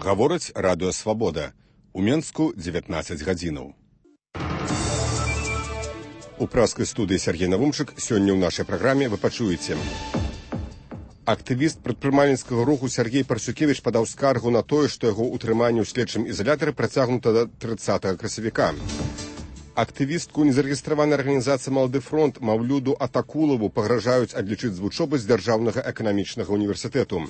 Гаворыць радыё «Свабода». У Менску 19 гадзінаў. У праскай студыі Сергей Навумчык сёння ў нашай праграме вы пачуеце. Актывіст прадпрымальніцкага руху Сергей Парсюкевіч падаў скаргу на тое, што яго ўтрыманне ў следчым ізалятары працягнута да 30 красавіка. Актывістку незарэгістраванай арганізацыі «Малады фронт» Маўлюду Атакулаву пагражаюць адлічыць з вучобы з Дзяржаўнага эканамічнага універсітэту.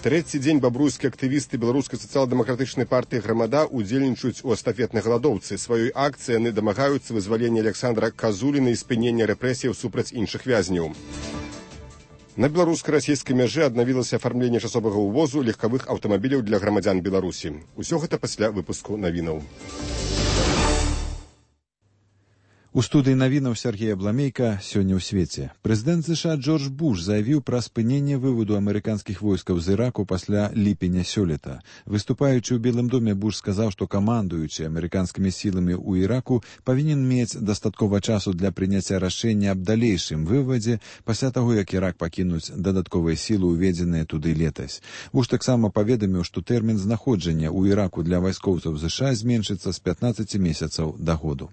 Трэці дзень бабруйскія актывісты беларускай сацыял-дэмакратычнай партыі «Грамада» удзельнічаюць у эстафетнай галадоўцы. Сваёй акцыяй яны дамагаюцца вызвалення Александра Казуліна і спынення рэпрэсіяў супраць іншых вязняў. На беларуска-расійскай мяжы аднавілася афармленне часовага ўвозу легкавых аўтамабіляў для грамадзян Беларусі. Усё гэта пасля выпуску навінаў. У студыі навінаў Сергея Бламейка сёння ў свеце. Прэзідэнт США Джордж Буш заявіў пра спыненне выводу амерыканскіх войскаў з Іраку пасля ліпеня сёлета. Выступаючы ў Белым доме, Буш сказаў, што камандуючы амерыканскімі сіламі ў Іраку павінен мець дастаткова часу для прыняцця рашэння аб далейшым вывадзе пасля таго, як Ірак пакінуць дадатковыя сілы, уведзеныя туды летась. Буш таксама паведаміў, што тэрмін знаходжання ў Іраку для вайскоўцаў США зменшыцца з 15 месяцаў да году.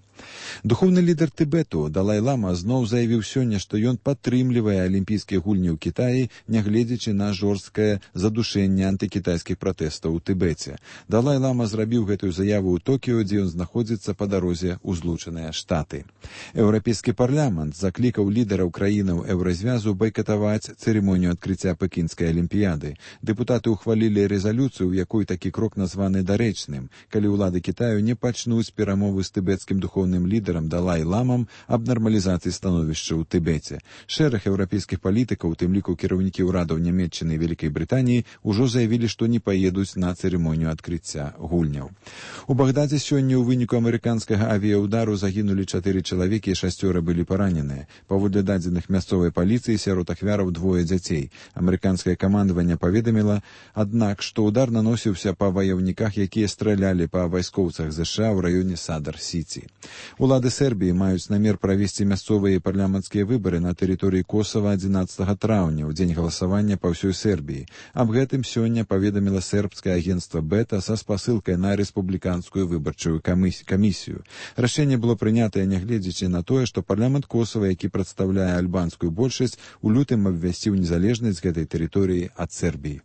Духоўны лідар Тыбету Далай-лама зноў заявіў сёння, што ён падтрымлівае алімпійскія гульні ў Кітаі, нягледзячы на жорсткае задушэнне антыкітайскіх пратэстаў у Тыбеце. Далай-лама зрабіў гэтую заяву ў Токіо, дзе ён знаходзіцца па дарозе ў Злучаныя Штаты. Еўрапейскі парламент заклікаў лідараў краінаў еўразвязу байкатаваць цырымонію адкрыцця Пекінскай алімпіяды. Дэпутаты ўхвалілі рэзалюцыю, у якой такі крок названы дарэчным, калі ўлады Кітаю не пачнуць перамовы з тыбецкім духоўным лідарам Далай-ламам аб нармалізацыі становішча ў Тыбеце. Шэраг еўрапейскіх палітыкаў, у тым ліку кіраўнікі ўрадаў Нямецчыны і Вялікай Брытаніі, ужо заявілі, што не паедуць на цырымонію адкрыцця гульняў. У Багдадзе сёння ў выніку амерыканскага авіяўдару загінулі 4 чалавекі і 6 былі параненыя. Паводле дадзеных мясцовай паліцыі, сярод ахвяраў 2 дзяцей. Амерыканскае камандаванне паведаміла, аднак, што ўдар наносіўся па ваяўніках, якія стралялі па вайскоўцах США ў раёне Садар-Сіці. Улады Сербіі маюць намер правесці мясцовыя парламенцкія выбары на тэрыторыі Косава 11 траўня, у дзень галасавання па ўсёй Сербіі. Аб гэтым сёння паведаміла сербскае агенцтва Бета са спасылкай на рэспубліканскую выбарчую камісію. Рашэнне было прынятае нягледзячы на тое, што парламент Косава, які прадстаўляе альбанскую большасць, у лютым абвясціў незалежнасць гэтай тэрыторыі ад Сербіі.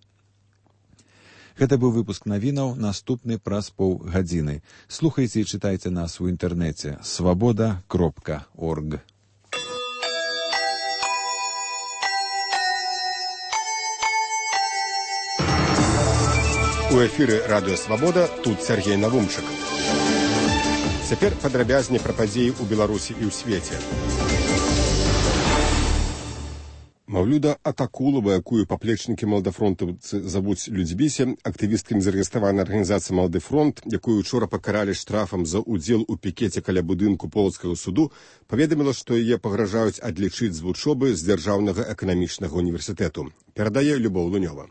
Гэта быў выпуск навінаў, наступны праз паўгадзіны. Слухайце і чытайце нас у інтэрнэце svoboda.org. У эфіры радыё «Свабода», тут Сергей Навумчык. Цяпер падрабязней пра падзеі ў Беларусі і ў свеце. Маўлюда Атакулава, якую паплечнікі маладафронтаўцы завуць Людзьбісе, актывістка незарэгістраванай арганізацыі «Малады фронт», якую учора пакаралі штрафам за ўдзел у пікеце каля будынку Полацкага суду, паведаміла, што яе пагражаюць адлічыць з вучобы з Дзяржаўнага эканамічнага універсітэту. Перадае Любоў Лунёва.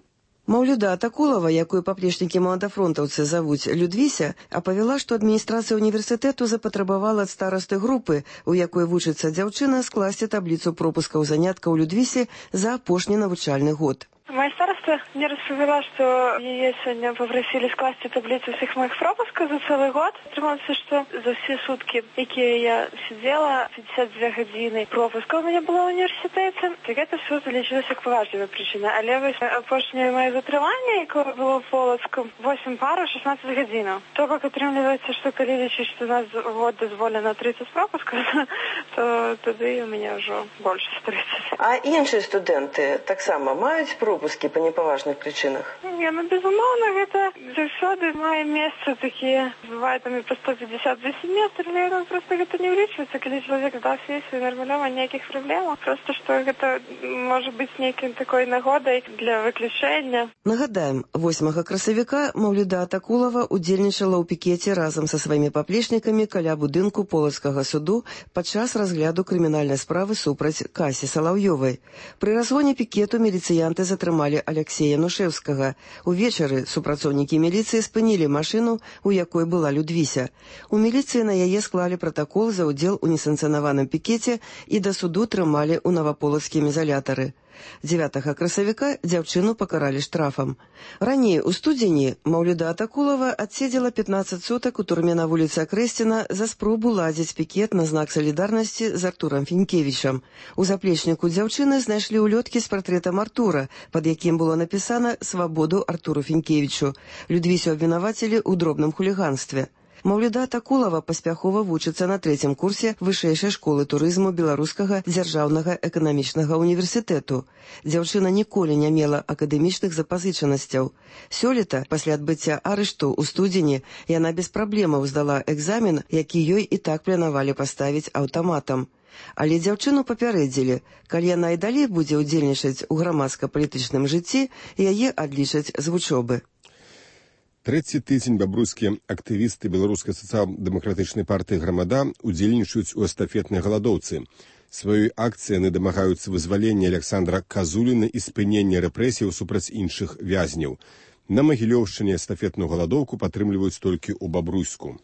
Маўлюда Атакулава, якую паплечнікі маладафронтаўцы завуць Людвіся, апавяла, што адміністрацыя універсітэту запатрабавала ад старасты групы, у якой вучыцца дзяўчына, скласці табліцу пропускаў заняткаў Людвісе за апошні навучальны год. Моя староста мне распавяла, што яе сёння папрасілі скласці табліцу ўсіх моих пропускаў за цэлы год. Атрымалася, што за ўсе суткі, якія я сидзела, 52 гадзіны пропускаў у мяне было ў універсітэце. Гэта ўсё залічылася як паважлівая прычына. Але вось апошняе маё затрыманне, якое было в Полацку, 8 параў, 16 гадзінаў. То бок атрымліваецца, што калі лічыць, што у нас год дазволена 30 пропускаў, то тады у мяне ўжо больш за 30. А іншыя студэнты таксама маюць пропуски па непаважных прычынах? Не, безумоўна, гэта заўсёды мае месца такія, бывае там і па 150 за семестр, але просто гэта не ўлічваецца, калі чалавек здаў сесію нармалёва, ніякіх праблемаў. Просто што гэта можа быць нейкім такой нагодай для выключэння. Нагадаем, 8 красавіка Маўлюда Атакулава удзельнічала ў пікеце разам са сваімі паплечнікамі каля будынку Полацкага суду падчас разгляду крымінальнай справы супраць Касі Салаўёвай. Пры разгоне пікету міліцыянты затрымалі Алексея Нушэўскага. Увечары супрацоўнікі міліцыі спынілі машыну, у якой была Людвіся. У міліцыі на яе склалі пратакол за ўдзел у несанкцыянаваным пікеце і да суду трымалі ў наваполацкім ізалятары. 9 красавіка дзяўчыну пакаралі штрафам. Раней у студзені Маўлюда Атакулова адседзела 15 сутак у турме на вуліцы Акрэсціна за спробу ладзіць пікет на знак салідарнасці з Артурам Фінкевічам. У заплечніку дзяўчыны знайшлі ўлёткі з партрэтам Артура, пад якім было напісана «Свабоду Артуру Фінкевічу». Людвісю абвінавацілі ў дробным хуліганстве. Маўлюда Атакулова паспяхова вучыцца на 3-м курсе вышэйшай школы турызму Беларускага дзяржаўнага эканамічнага універсітэту. Дзяўчына ніколі не мела акадэмічных запазычанасцяў. Сёлета, пасля адбыцця арышту ў студзені, яна без праблемаў здала экзамен, які ёй і так планавалі паставіць аўтаматам. Але дзяўчыну папярэдзілі, калі яна і далей будзе ўдзельнічаць у грамадска-палітычным жыцці, яе адлічаць з вучобы. Трэці тыдзень бабруйскія актывісты беларускай сацыял-дэмакратычнай партыі «Грамада» удзельнічаюць у эстафетнай галадоўцы. Сваёй акцыяй яны дамагаюцца вызвалення Александра Казуліна і спынення рэпрэсіяў супраць іншых вязняў. На Магілёўшчыне эстафетную галадоўку падтрымліваюць толькі ў Бабруйску.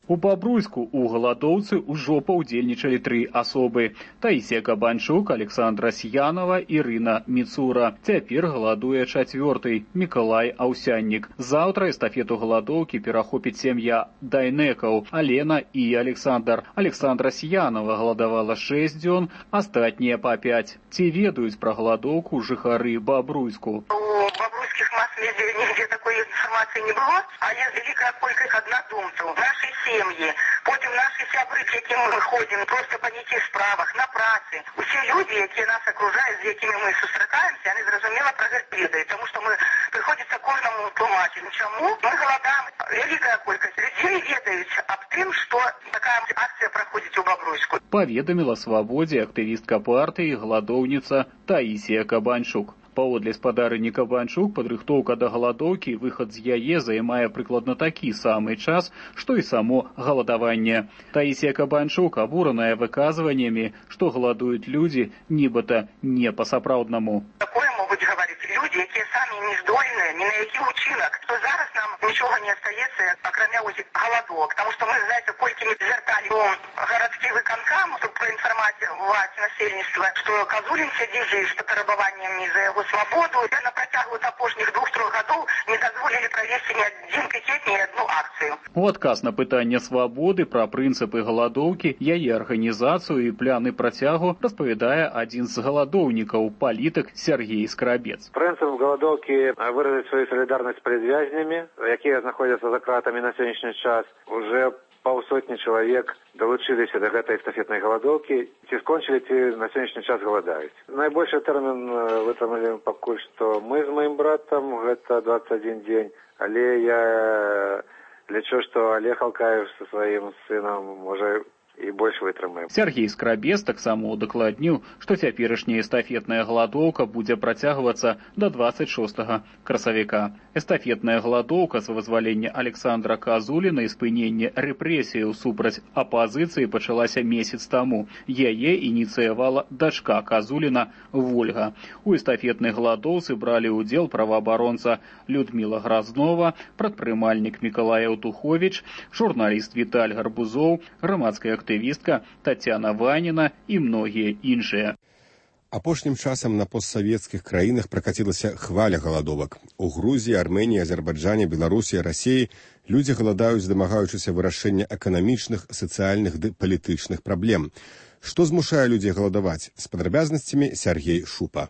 У Бабруйску у галадоўцы ўжо паўдзельнічалі 3 асобы. Таісія Кабанчук, Александра Сьянова, Ірына Міцура. Цяпер галадуе 4-й Мікалай Аўсяннік. Заўтра эстафету галадоўкі перахопіць сям'я Дайнекаў, Алена і Александр. Александра Сьянова галадавала 6 дзён, астатнія па 5. Ці ведаюць пра галадоўку жыхары Бабруйску? У бабруйских масс-медиа нигде такой информации не было, а есть великая колькость однодумцев. Наши семьи, потім наши сябры, к яким мы ходим, просто по неких справах, на праці. Усі люди, які нас окружають, з якими ми зустрічаємося, вони зрозуміло про це ведають, тому що ми приходиться кожному тлумачити. Чому? Ми голодаємо, великая колькість людей ведають об тим, що така акція проходить у Бобруйску. Паведаміла «Свабодзе» актывістка партыі, галадоўніца Таісія Кабанчук. Паводле спадарыні Кабанчук, падрыхтоўка да галадоўкі, выхад з яе займае прыкладна такі самы час, што і само галадаванне. Таісія Кабанчук абураная выказваннямі, што галадуюць людзі, нібыта не па-сапраўднаму. Такое могуць гаварыць людзі, якія самі не здольныя ні на які ўчынак, то зараз нам нічога не астаецца, акрамя галадок, таму што мы, знаеце, колькі мы звярталі у гарадскі выканкам, каб праінфармаваць насельніцтва, што Казулін сядзіць з патрабаваннямі за яго свабоду, і на працягу апошніх 2-3 гадоў не дазволілі правесці ні адзін пікет, ні адну акцыю. У адказ на пытанне свабоды пра прынцыпы галадоўкі, яе арганізацыю і пляны працягу распавядае адзін з галадоўнікаў, палітык Сергей Скрабец. Прынцып галадоўкі выразіць сваю салідарнасць перад вязнямі, якія знаходзяцца за кратамі на сённяшні час. Уже паўсотні чалавек далучыліся да гэтай эстафетнай галадоўкі, ці скончылі, ці на сённяшні час галадаюць. Найбольшы тэрмін вытрымалі пакуль што мы з маім братам, гэта 21 дзень, але я лічу, што Олег Алкаев са сваім сынам можа і больш вытрымаем. Сергей Скрабец таксама удакладніў, што цяперашняя эстафетная галадоўка будзе працягвацца да 26 красавіка. Эстафетная галадоўка з вызвалення Александра Казуліна і спынення рэпрэсіяў супраць апазіцыі пачалася месяц таму. Яе ініцыявала дачка Казуліна Вольга. У эстафетнай галадоўцы бралі ўдзел праваабаронца Людміла Гразнова, прадпрымальнік Мікалай Аўтуховіч, журналіст Віталь Гарбузоў, грамадская актывістка Тацяна Ваніна і многія іншыя. Апошнім часам на постсавецкіх краінах пракацілася хваля галадовак. У Грузіі, Арменіі, Азербайджане, Беларусі, Расіі людзі галадаюць, дамагаючыся вырашэння эканамічных, сацыяльных ды палітычных праблем. Што змушае людзей галадаваць? З падрабязнасцямі Сергей Шупа.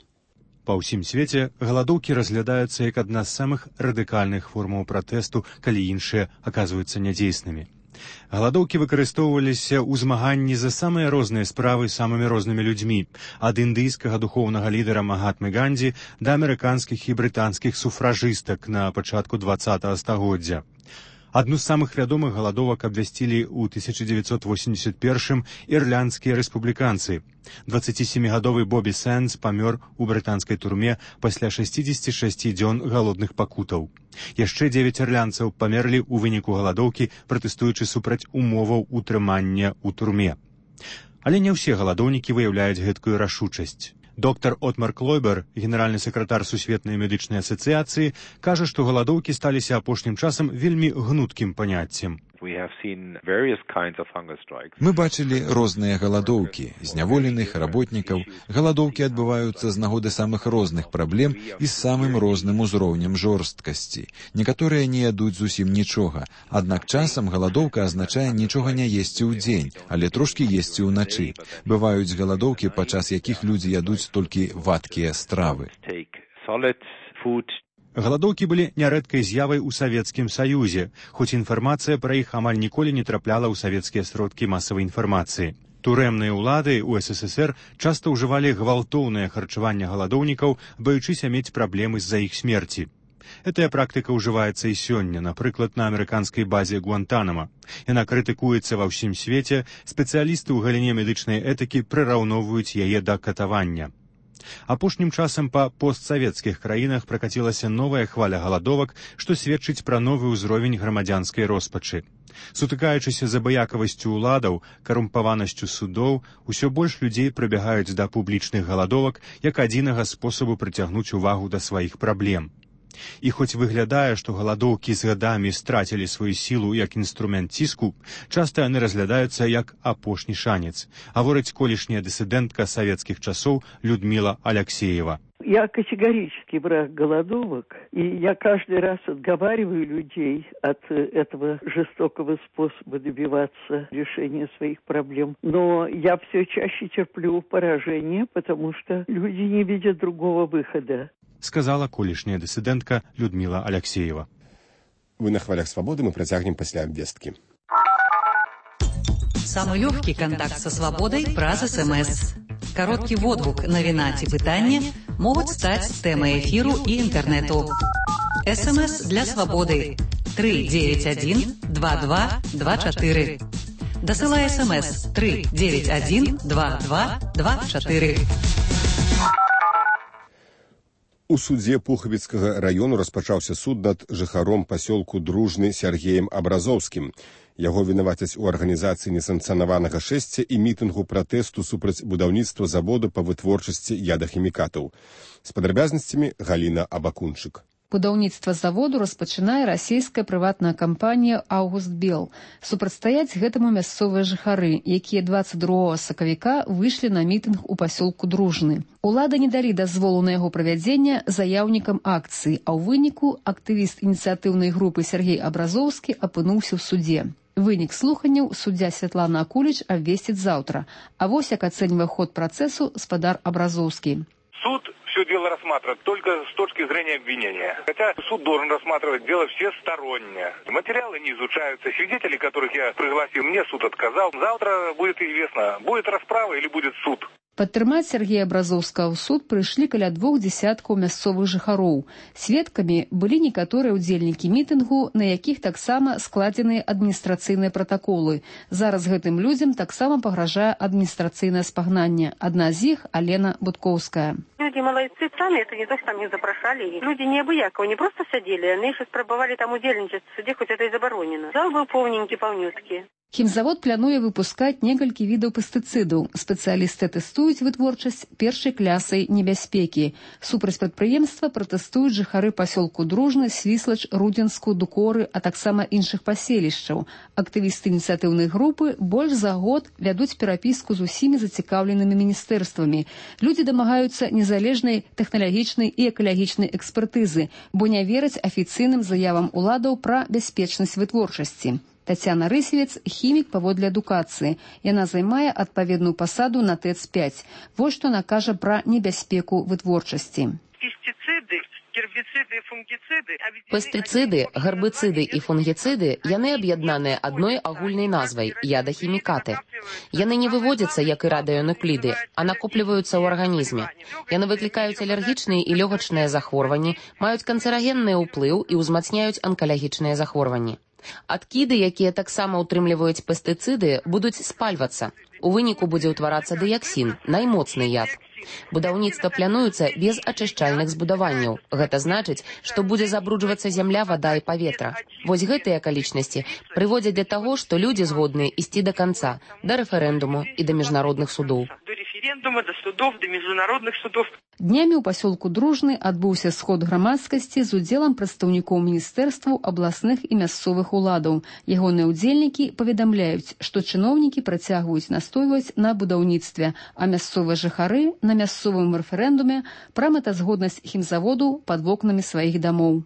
Па ўсім свеце галадоўкі разглядаюцца як адна з самых радыкальных формаў пратэсту, калі іншыя аказваюцца нядзейснымі. Галадоўкі выкарыстоўваліся ў змаганні за самыя розныя справы самымі рознымі людзьмі, ад індыйскага духоўнага лідара Магатмы Гандзі да амерыканскіх і брытанскіх суфражыстак на пачатку 20-го стагоддзя. Адну з самых вядомых галадовак абвясцілі ў 1981-м ірландскія рэспубліканцы. 27-гадовы Бобі Сэндз памёр у брытанскай турме пасля 66 дзён галодных пакутаў. Яшчэ 9 ірландцаў памерлі ў выніку галадоўкі, пратэстуючы супраць умоваў утрымання ў турме. Але не ўсе галадоўнікі выяўляюць гэткую рашучасць. Доктар Отмар Клойбер, генеральны сакратар Сусветнай медычнай асацыяцыі, кажа, што галадоўкі сталіся апошнім часам вельмі гнуткім паняццем. Мы бачылі розныя галадоўкі, зняволеных, работнікаў. Галадоўкі адбываюцца з нагоды самых розных праблем і з самым розным узроўнем жорсткасці. Некаторыя не ядуць зусім нічога, аднак часам галадоўка азначае нічога не есці ў дзень, але трошкі есці ўначы. Бываюць галадоўкі, падчас якіх людзі ядуць толькі вадкія стравы. Галадоўкі былі нярэдкай з'явай у Савецкім Саюзе, хоць інфармацыя пра іх амаль ніколі не трапляла ў савецкія сродкі масавай інфармацыі. Турэмныя ўлады ў СССР часта ўжывалі гвалтоўнае харчаванне галадоўнікаў, баючыся мець праблемы з-за іх смерці. Гэтая практыка ўжываецца і сёння, напрыклад, на амерыканскай базе Гуантанама. Яна крытыкуецца ва ўсім свеце, спецыялісты ў галіне медычнай этыкі прыраўноўваюць яе да катавання. Апошнім часам па постсавецкіх краінах пракацілася новая хваля галадовак, што сведчыць пра новы ўзровень грамадзянскай роспачы. Сутыкаючыся з абыякавасцю ўладаў, карумпаванасцю судоў, усё больш людзей прыбягаюць да публічных галадовак як адзінага спосабу прыцягнуць увагу да сваіх праблем. І хоць выглядае, што галадоўкі з гадамі страцілі сваю сілу як інструмент ціску, часта яны разглядаюцца як апошні шанец, гаворыць колішняя дысідэнтка савецкіх часоў Людмила Алексеева. Я категорически враг голодовок, и я каждый раз отговариваю людей от этого жестокого способа добиваться решения своих проблем. Но я все чаще терплю поражение, потому что люди не видят другого выхода. Сказала колішняя дысідэнтка Людмила Алексеева. Вы на хвалях свободы, мы працягнем пасля абвесткі. Самый легкий контакт со свободой праз СМС. Короткий водгук, навіна ці пытанне могуць стаць тэмай эфіру і інтэрнэту. СМС для свободы 391 2224. Дасылай СМС 391 2224. У судзе Пухавіцкага раёну распачаўся суд над жыхаром пасёлку Дружны Сергеем Абразоўскім. Яго вінавацяць у арганізацыі несанкцыянаванага шэсця і мітынгу пратэсту супраць будаўніцтва заводу па вытворчасці ядахімікатаў. З падрабязнасцямі Галіна Абакунчык. Будаўніцтва заводу распачынае расійская прыватная кампанія «Аугустбел». Супрацьстаяць гэтаму мясцовыя жыхары, якія 22 сакавіка выйшлі на мітынг у пасёлку Дружны. Улады не далі дазволу на яго правядзення заяўнікам акцыі, а ў выніку актывіст ініцыятыўнай групы Сергей Абразоўскі апынуўся ў суде. Вынік слуханняў суддзя Святлана Акуліч абвесціць заўтра. А вось як ацэньвае ход працэсу спадар Абразоўскі. Суд все дело рассматривает только с точки зрения обвинения. Хотя суд должен рассматривать дело всесторонне. Материалы не изучаются. Свидетелей, которых я пригласил, мне суд отказал. Завтра будет известно, будет расправа или будет суд. Падтрымаць Сергея Абразоўскага ў суд прыйшлі каля 2 дзясяткаў мясцовых жыхароў. Сведкамі былі некаторыя ўдзельнікі мітынгу, на якіх таксама складзеныя адміністрацыйныя пратаколы. Зараз гэтым людзям таксама пагражае адміністрацыйнае спагнанне. Адна з іх – Алена Будкоўская. Люди молодцы сами, это не то, что там их запрошали. Люди неабыякого, не просто сидели, они еще спробовали там удельничать в суде, хоть это и заборонено. Зал был полненький. Хімзавод плануе выпускаць некалькі відаў пестыцыдаў. Спецыялісты тэстуюць вытворчасць першай клясай небяспекі. Супраць прадпрыемства пратэстуюць жыхары пасёлку Дружны, Свіслач, Рудзенску, Дукоры, а таксама іншых паселішчаў. Актывісты ініцыятыўнай групы больш за год вядуць перапіску з усімі зацікаўленымі міністэрствамі. Людзі дамагаюцца незалежнай тэхналагічнай і экалагічнай экспертызы, бо не вераць афіцыйным заявам уладаў пра бяспечнасць вытворчасці. Тацяна Рысевец – хімік паводле адукацыі. Яна займае адпаведную пасаду на ТЭЦ-5. Вось што накажа пра небяспеку вытворчасці. Пестыцыды, гербіцыды і фунгіцыды, яны аб'яднаныя адной агульнай назвай – ядахімікаты. Яны не выводзяцца, як і радыёнукліды, а накопліваюцца ў арганізме. Яны выклікаюць алергічныя і лёгачныя захворванні, маюць канцэрагенны ўплыў і ўзмацняюць анкалагічныя захворванні. Адкіды, якія таксама ўтрымліваюць пестыцыды, будуць спальвацца. У выніку будзе ўтварацца дыяксін, наймоцны яд. Будаўніцтва плануецца без ачышчальных збудаванняў. Гэта значыць, што будзе забруджвацца зямля, вада і паветра. Вось гэтыя акалічнасці прыводзяць да таго, што людзі згодныя ісці да канца, да рэферэндуму і да міжнародных судоў. референдума, до судов, до международных судов. Днямі ў пасёлку Дружны адбыўся сход грамадскасці з удзелам прадстаўнікоў міністэрстваў, абласных і мясцовых уладаў. Ягоныя ўдзельнікі паведамляюць, што чыноўнікі працягваюць настойваць на будаўніцтве, а мясцовыя жыхары на мясцовым рэферэндуме пра мэтазгоднасць хімзаводу пад вокнамі сваіх дамоў.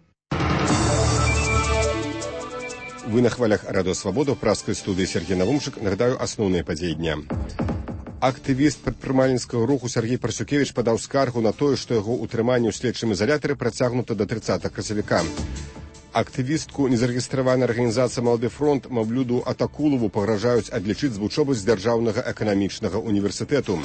Вы на хвалях Радио Свобода, в пражской студии Сергей Навумчик. Нагадаю, основные подеи дня. Актывіст прадпрымальніцкага руху Сергей Парсюкевіч падаў скаргу на тое, што яго ўтрыманне ў следчым ізалятары працягнута да 30 красавіка. Актывістку незарэгістраванай арганізацыі «Малады фронт» Маўлюду Атакулову пагражаюць адлічыць з вучобы з дзяржаўнага эканамічнага універсітэту.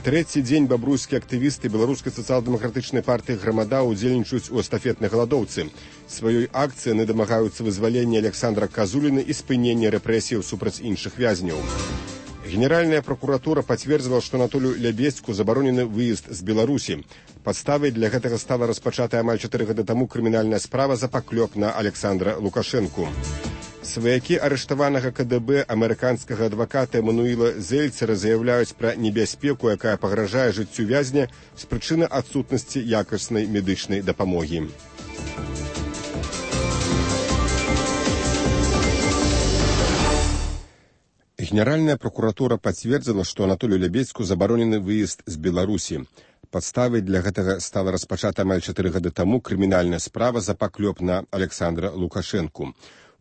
Трэці дзень бабруйскія актывісты беларускай сацыял-дэмакратычнай партыі «Грамада» удзельнічаюць у эстафетнай галадоўцы. Сваёй акцыі яны дамагаюцца вызвалення Александра Казуліна і спынення рэпрэсіяў супраць іншых вязняў. Генеральная прокуратура подтвердила, что Анатолию Лябедзьку заборонены выезд з Беларусі. Подставой для гэтага стала распачатая амаль 4 гады таму крымінальная справа за паклёп на Александра Лукашэнку. Сваякі арыштаванага КДБ амерыканскага адваката Эмануіла Зельцера заяўляюць пра небяспеку, якая пагражае жыццю вязня з прычыны адсутнасці якаснай медычнай дапамогі. Генеральная прокуратура подтвердила, что Анатолию Лябедзьку заборонены выезд з Беларусі. Подставой для гэтага стала распачата амаль 4 гады таму крымінальная справа за паклёп на Александра Лукашэнку.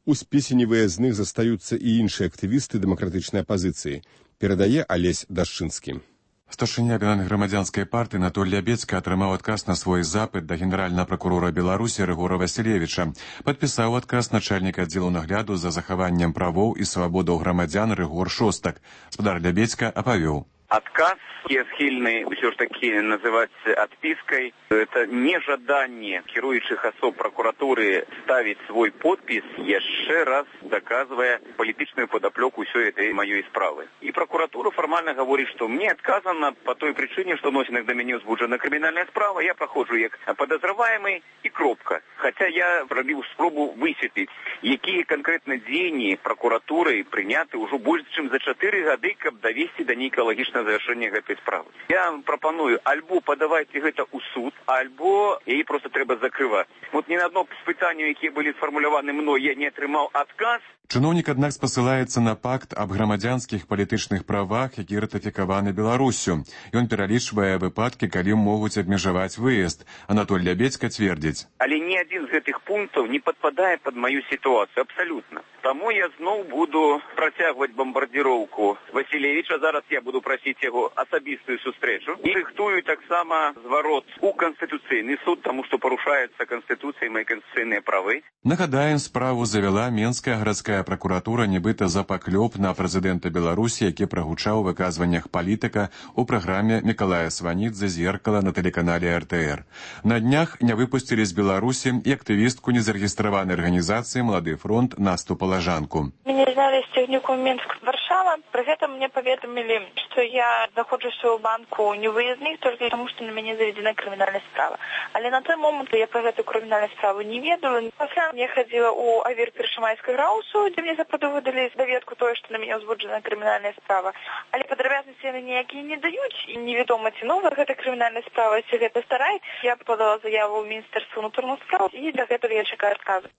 У спісе невыязных застаюцца і іншыя актывісты дэмакратычнай апазіцыі, перадае Алесь Дашчынскі. Старшыня грамадзянскай партыі Анатоль Лябедзька атрымаў адказ на свой запыт да генеральнага пракурора Беларусі Рыгора Васілевіча. Падпісаў адказ начальніка аддзелу нагляду за захаваннем правоў і свабодаў грамадзян Рыгор Шостак. Спадар Лябедзька апавёў. Отказ я схильный все ж таки называть отпиской. Это нежаданне кіруючых особ прокуратуры ставить свой подпис, еще раз доказывая политичную подоплеку всей этой моей справы. И прокуратура формально говорит, что мне отказано по той причине, что носит до меня узбуджена криминальная справа, я прохожу как подозреваемый и кропка. Хотя я пробил спробу высветлить, какие конкретно дзеянні прокуратуры приняты уже больше, чем за 4 годы, каб довести до неэкологичного завершения этой справы. Я вам пропоную, альбо подавайте гэта ў суд, альбо яе просто трэба закрываць. Вот ни на одно спытанне, якія былі сфармуляваны мной, я не атрымаў адказ. Чыноўнік, аднак, спасылаецца на пакт аб грамадзянскіх палітычных правах, які ратыфікаваны Беларуссю. Ён пералічвае выпадкі, калі могуць абмежаваць выезд. Анатоль Лябедзька цвердзіць. Але ні адзін з гэтых пунктаў не падпадае пад маю сітуацыю, абсалютна. Таму я зноў буду працягваць бамбардзіроўку Васілевіча. Зараз я буду прасіць яго асабістую сустрэчу. І рыхтую таксама зварот у Канстытуцыйны суд, таму што парушаецца Канстытуцыя і мае канстытуцыйныя правы. Нагадаем, справу завяла Менская гарадская прокуратура нібыта за паклёп на прэзідэнта Беларусі, які прагучаў у выказваннях палітыка ў праграме Мікалая Сванідзе «Зеркала» на тэлеканале РТР. На днях не выпусцілі з Беларусі і актывістку незарэгістраванай арганізацыі «Малады фронт» Насту Палажанку. Мяне знялі з цягніком Мінск-Варшава. Пры гэтым мне паведамілі, што я знаходжуся ў банку невыездных толькі таму, што на мяне заведзена крымінальная справа. Але на той момант я пра гэту крымінальную справу не ведала. Пасля я хадзіла ў авір першамайскай раусу, дзе мне западу выдалі даведку тое, што на мяне ўзбуджана крымінальная справа. Але падрабязнасці яны ніякія не даюць, і невядома, ці новая гэта крымінальная справа, ці гэта старая. Я подала заяву ў Міністэрства ўнутраных спраў, і для гэтага я чакаю адказу.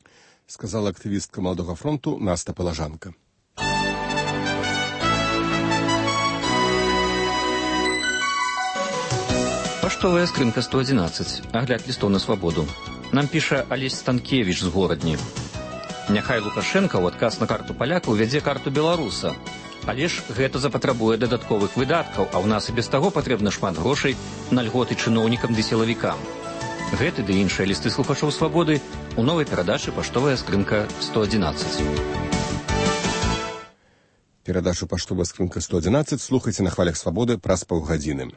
Сказала актывістка Маладога фронту Наста Палажанка. Паштовая скрынка 111. Агляд лістоў на свабоду. Нам піша Алесь Станкевіч з Горадні. Няхай Лукашенко ў адказ на карту паляка увядзе карту беларуса. Але ж гэта запатрабуе дадатковых выдаткаў, а ў нас і без таго патрэбна шмат грошай на льготы чыноўнікам ды сілавікам. Гэты ды іншыя лісты слухачоў свабоды у новай перадачы «Паштовая скрынка 111». Перадачу «Паштовая скрынка 111» слухайце на хвалях свабоды праз паўгадзіны.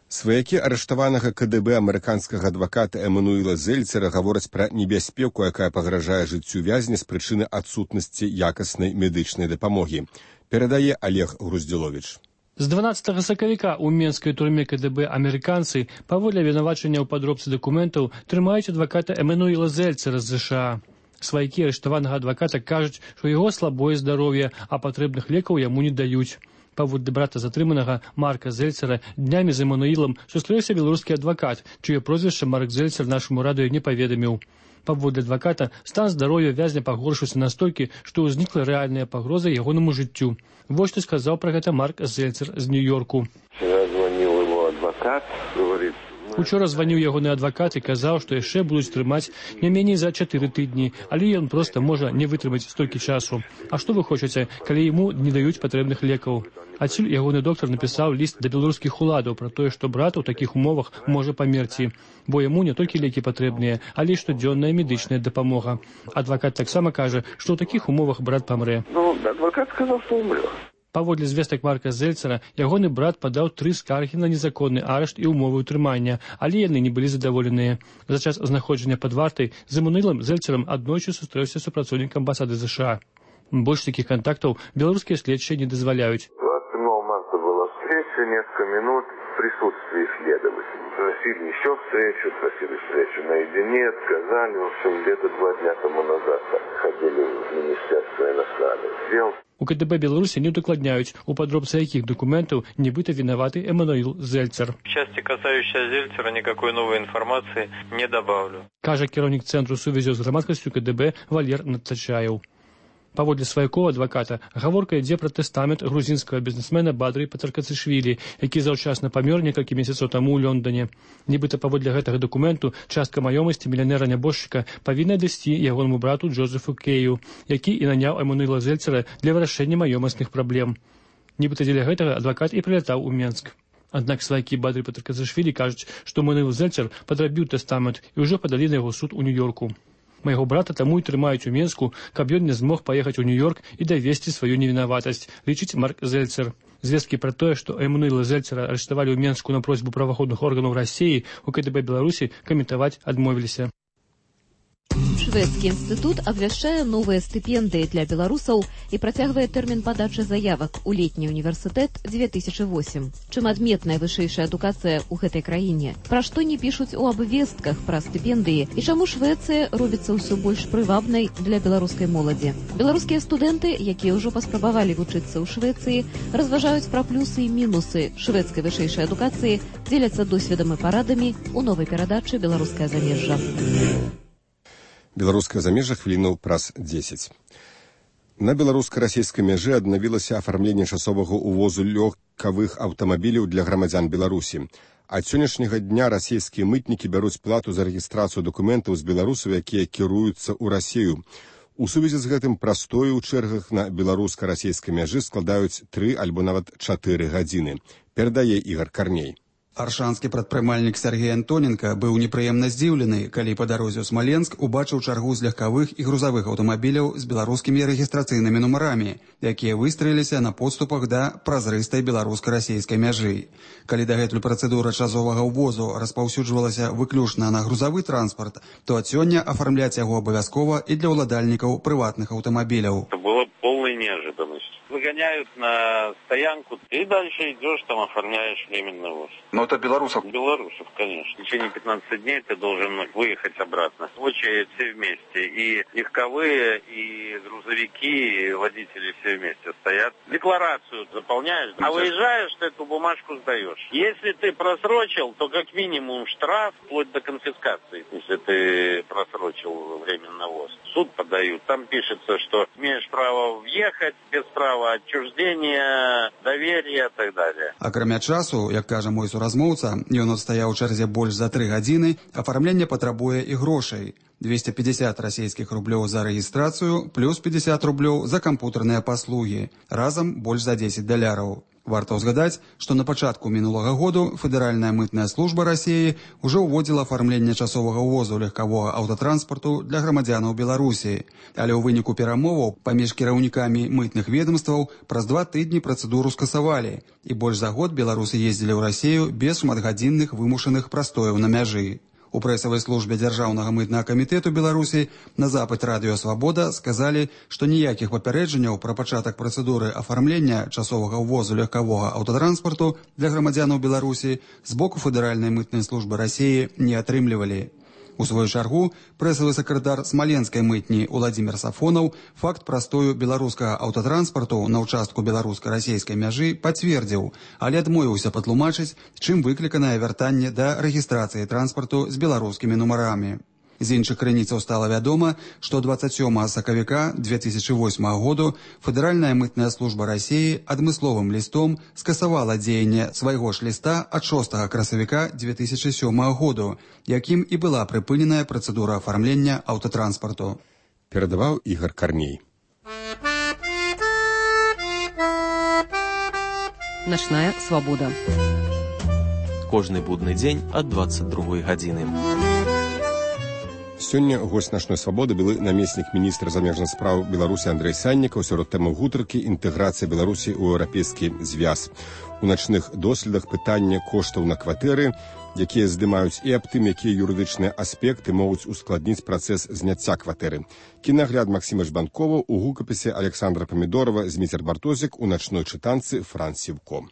Сваякі арыштаванага КДБ амерыканскага адваката Эмануіла Зельцера гавораць пра небяспеку, якая пагражае жыццю вязня з прычыны адсутнасці якаснай медычнай дапамогі. Перадае Олег Груздзіловіч. З 12 сакавіка ў менскай турме КДБ амерыканцы паводле абвінавачання ў падробцы дакументаў трымаюць адваката Эмануіла Зельцера з ЗША. Сваякі арыштаванага адваката кажуць, што яго слабое здароўе, а патрэбных лекаў яму не даюць. Паводле брата затрыманага Марка Зельцера днямі з Эмануілам сустрэўся беларускі адвакат, чыё прозвішча Марк Зельцер нашаму радыё не паведаміў. Паводле адваката, стан здароўя вязня пагоршыўся настолькі, што ўзнікла рэальная пагроза ягонаму жыццю. Вот што сказаў пра гэта Марк Зельцер з Нью-Йорку. Учора званіў ягоны адвакат і казаў, што яшчэ будуць трымаць не меней за 4 тыдні, але ён проста можа не вытрымаць столькі часу. А што вы хочаце, калі яму не даюць патрэбных лекаў? Адсюль ягоны доктар напісаў ліст да беларускіх уладаў пра тое, што брат у такіх умовах можа памерці, бо яму не толькі лекі патрэбныя, але і штодзённая медычная дапамога. Адвакат таксама кажа, што ў такіх умовах брат памрэ. Адвакат сказаў, што умрэ. Паводле звестак Марка Зельцера, ягоны брат падаў 3 скаргі на незаконны арышт і умовы ўтрымання, але яны не былі задаволеныя. За час знаходжання пад вартай з Эмануілам Зельцерам аднойчы сустрэўся супрацоўнік амбасады США. Больш такіх кантактаў беларускія следчыя не дазваляюць. 27 марта была встреча, несколько минут в присутствии следователей. Просили еще встречу, просили встречу наедине, отказали. В общем, где-то 2 дня тому назад ходили в Министерство иностранных дел. У КДБ Беларусі не удакладняюць, у падробцы якіх документаў нібыта вінаваты Эмануіл Зельцер. В части, касающейся Зельцера, никакой новой информации не добавлю. Кажа кіраўнік Цэнтру сувязі з грамадскасцю КДБ Валер Натачаев. Паводле сваякоў адваката, гаворка ідзе пра тэстамент грузінскага бізнесмена Бадры Патаркацышвілі, які заўчасна памёр некалькі месяцаў таму ў Лондоне. Нібыта паводле гэтага дакументу частка маёмасці мільянера-нябожчыка павінна дайсці ягонаму брату Джозефу Кею, які і наняў Эмануіла Зельцера для вырашэння маёмасных праблем. Нібыта дзеля гэтага адвакат і прылятаў у Менск. Аднак сваякі Бадры Патаркацышвілі кажуць, што Эмануіл Зельцер падрабіў тэстамент і ўжо падалі на яго суд у Нью-Йорку. Майго брата таму і трымаюць у Менску, каб ён не змог паехаць у Нью-Йорк і давесці сваю невінаватасць, лічыць Марк Зельцер. Звесткі пра тое, што Эмануіла Зельцера арыштавалі ў Менску на просьбу праваахоўных органаў Расіі, у КДБ Беларусі каментаваць адмовіліся. Шведскі інстытут абвяшчае новыя стыпендыі для беларусаў і працягвае тэрмін падачы заявак у летні універсітэт 2008. Чым адметная вышэйшая адукацыя ў гэтай краіне? Пра што не пішуць у абвестках пра стыпендыі і чаму Швецыя робіцца ўсё больш прывабнай для беларускай моладзі? Беларускія студэнты, якія ўжо паспрабавалі вучыцца ў Швецыі, разважаюць пра плюсы і мінусы шведскай вышэйшай адукацыі, дзеляцца досведам і парадамі ў новай перадачы «Беларускае замежжа». Беларускае замежжа хвілінаў праз 10. На беларуска-расійскай мяжы аднавілася афармленне часовага ўвозу лёгкавых аўтамабіляў для грамадзян Беларусі. Ад сённяшняга дня расійскія мытнікі бяруць плату за рэгістрацыю дакументаў з беларусаў, якія кіруюцца ў Расію. У сувязі з гэтым прастоі ў чэргах на беларуска-расійскай мяжы складаюць 3 альбо нават 4 гадзіны. Перадае Ігар Карней. Аршанскі прадпрымальнік Сергей Антоненко быў непрыемна здзіўлены, калі па дарозе ў Смаленск убачыў чаргу з легкавых і грузавых аўтамабіляў з беларускімі рэгістрацыйнымі нумарамі, якія выстраіліся на подступах да празрыстай беларуска-расійскай мяжы. Калі дагэтуль працэдура часовага ўвозу распаўсюджвалася выключна на грузавы транспарт, то ад сёння афармляць яго абавязкова і для ўладальнікаў прыватных аўтамабіляў. Это было полной неожиданностью. Выгоняют на стоянку, и дальше идешь, там оформляешь временный ввоз. Но это белорусов? Белорусов, конечно. В течение 15 дней ты должен выехать обратно. В очередь все вместе. И легковые, и грузовики, и водители все вместе стоят. Декларацию заполняешь, а выезжаешь, ты эту бумажку сдаешь. Если ты просрочил, то как минимум штраф, вплоть до конфискации, если ты просрочил временный ввоз. Суд подают, там пишется, что имеешь право въехать без права отчуждения, доверия и так далее. Акрамя часу, як кажа мой суразмоўца, ён адстаяў у чарзе больш за 3 гадзіны, афармленне патрабуе і грошай. 250 расійскіх рублёў за рэгістрацыю, плюс 50 рублёў за кампутарныя паслугі. Разам больш за $10. Варта ўзгадаць, што на пачатку мінулага году Федэральная мытная служба Расіі ўжо ўводзіла афармленне часовага ўвозу легкавога аўтатранспарту для грамадзянаў Беларусі. Але ў выніку перамоваў паміж кіраўнікамі мытных ведомстваў праз 2 тыдні працэдуру скасавалі, і больш за год беларусы ездзілі ў Расію без шматгадзінных вымушаных прастояў на мяжы. У прэсавай службе Дзяржаўнага мытнага камітэту Беларусі на запыт радыё «Свабода» сказалі, што ніякіх папярэджанняў пра пачатак працэдуры афармлення часовага ўвозу легкавога аўтатранспарту для грамадзянаў Беларусі з боку Федэральнай мытнай службы Расіі не атрымлівалі. У свою чаргу прэсавы сакратар смаленскай мытні Уладзімір Сафонаў факт прастою беларускага аўтатранспарту на ўчастку беларуска-расійскай мяжы пацвердзіў, але адмовіўся патлумачыць, чым выкліканае вяртанне да рэгістрацыі транспарту з беларускімі нумарамі. З іншых крыніцаў стала вядома, што 27 сакавіка 2008 году Федэральная мытная служба Расіі адмысловым лістом скасавала дзеянне свайго ж ліста ад 6 красавіка 2007 году, якім і была прыпыненая працэдура афармлення аўтатранспарту. Перадаваў Ігор Карней. Начная свабода. Кожны будны дзень ад 22 гадзіны. Сёння госць нашай свабоды былы намеснік міністра замежных спраў Беларусі Андрэй Саннікаў. Сярод тэмаў гутаркі інтэграцыя Беларусі ў еўрапейскі звяз. У начных доследах пытання коштаў на кватэры, якія здымаюць і аб тым, якія юрыдычныя аспекты могуць ускладніць працэс зняцця кватэры. Кінагляд Максіма Жбанкова ў гукапісе Александра Памідорова, Зміцер Бартозік, у начной чытанцы Фран Сівко.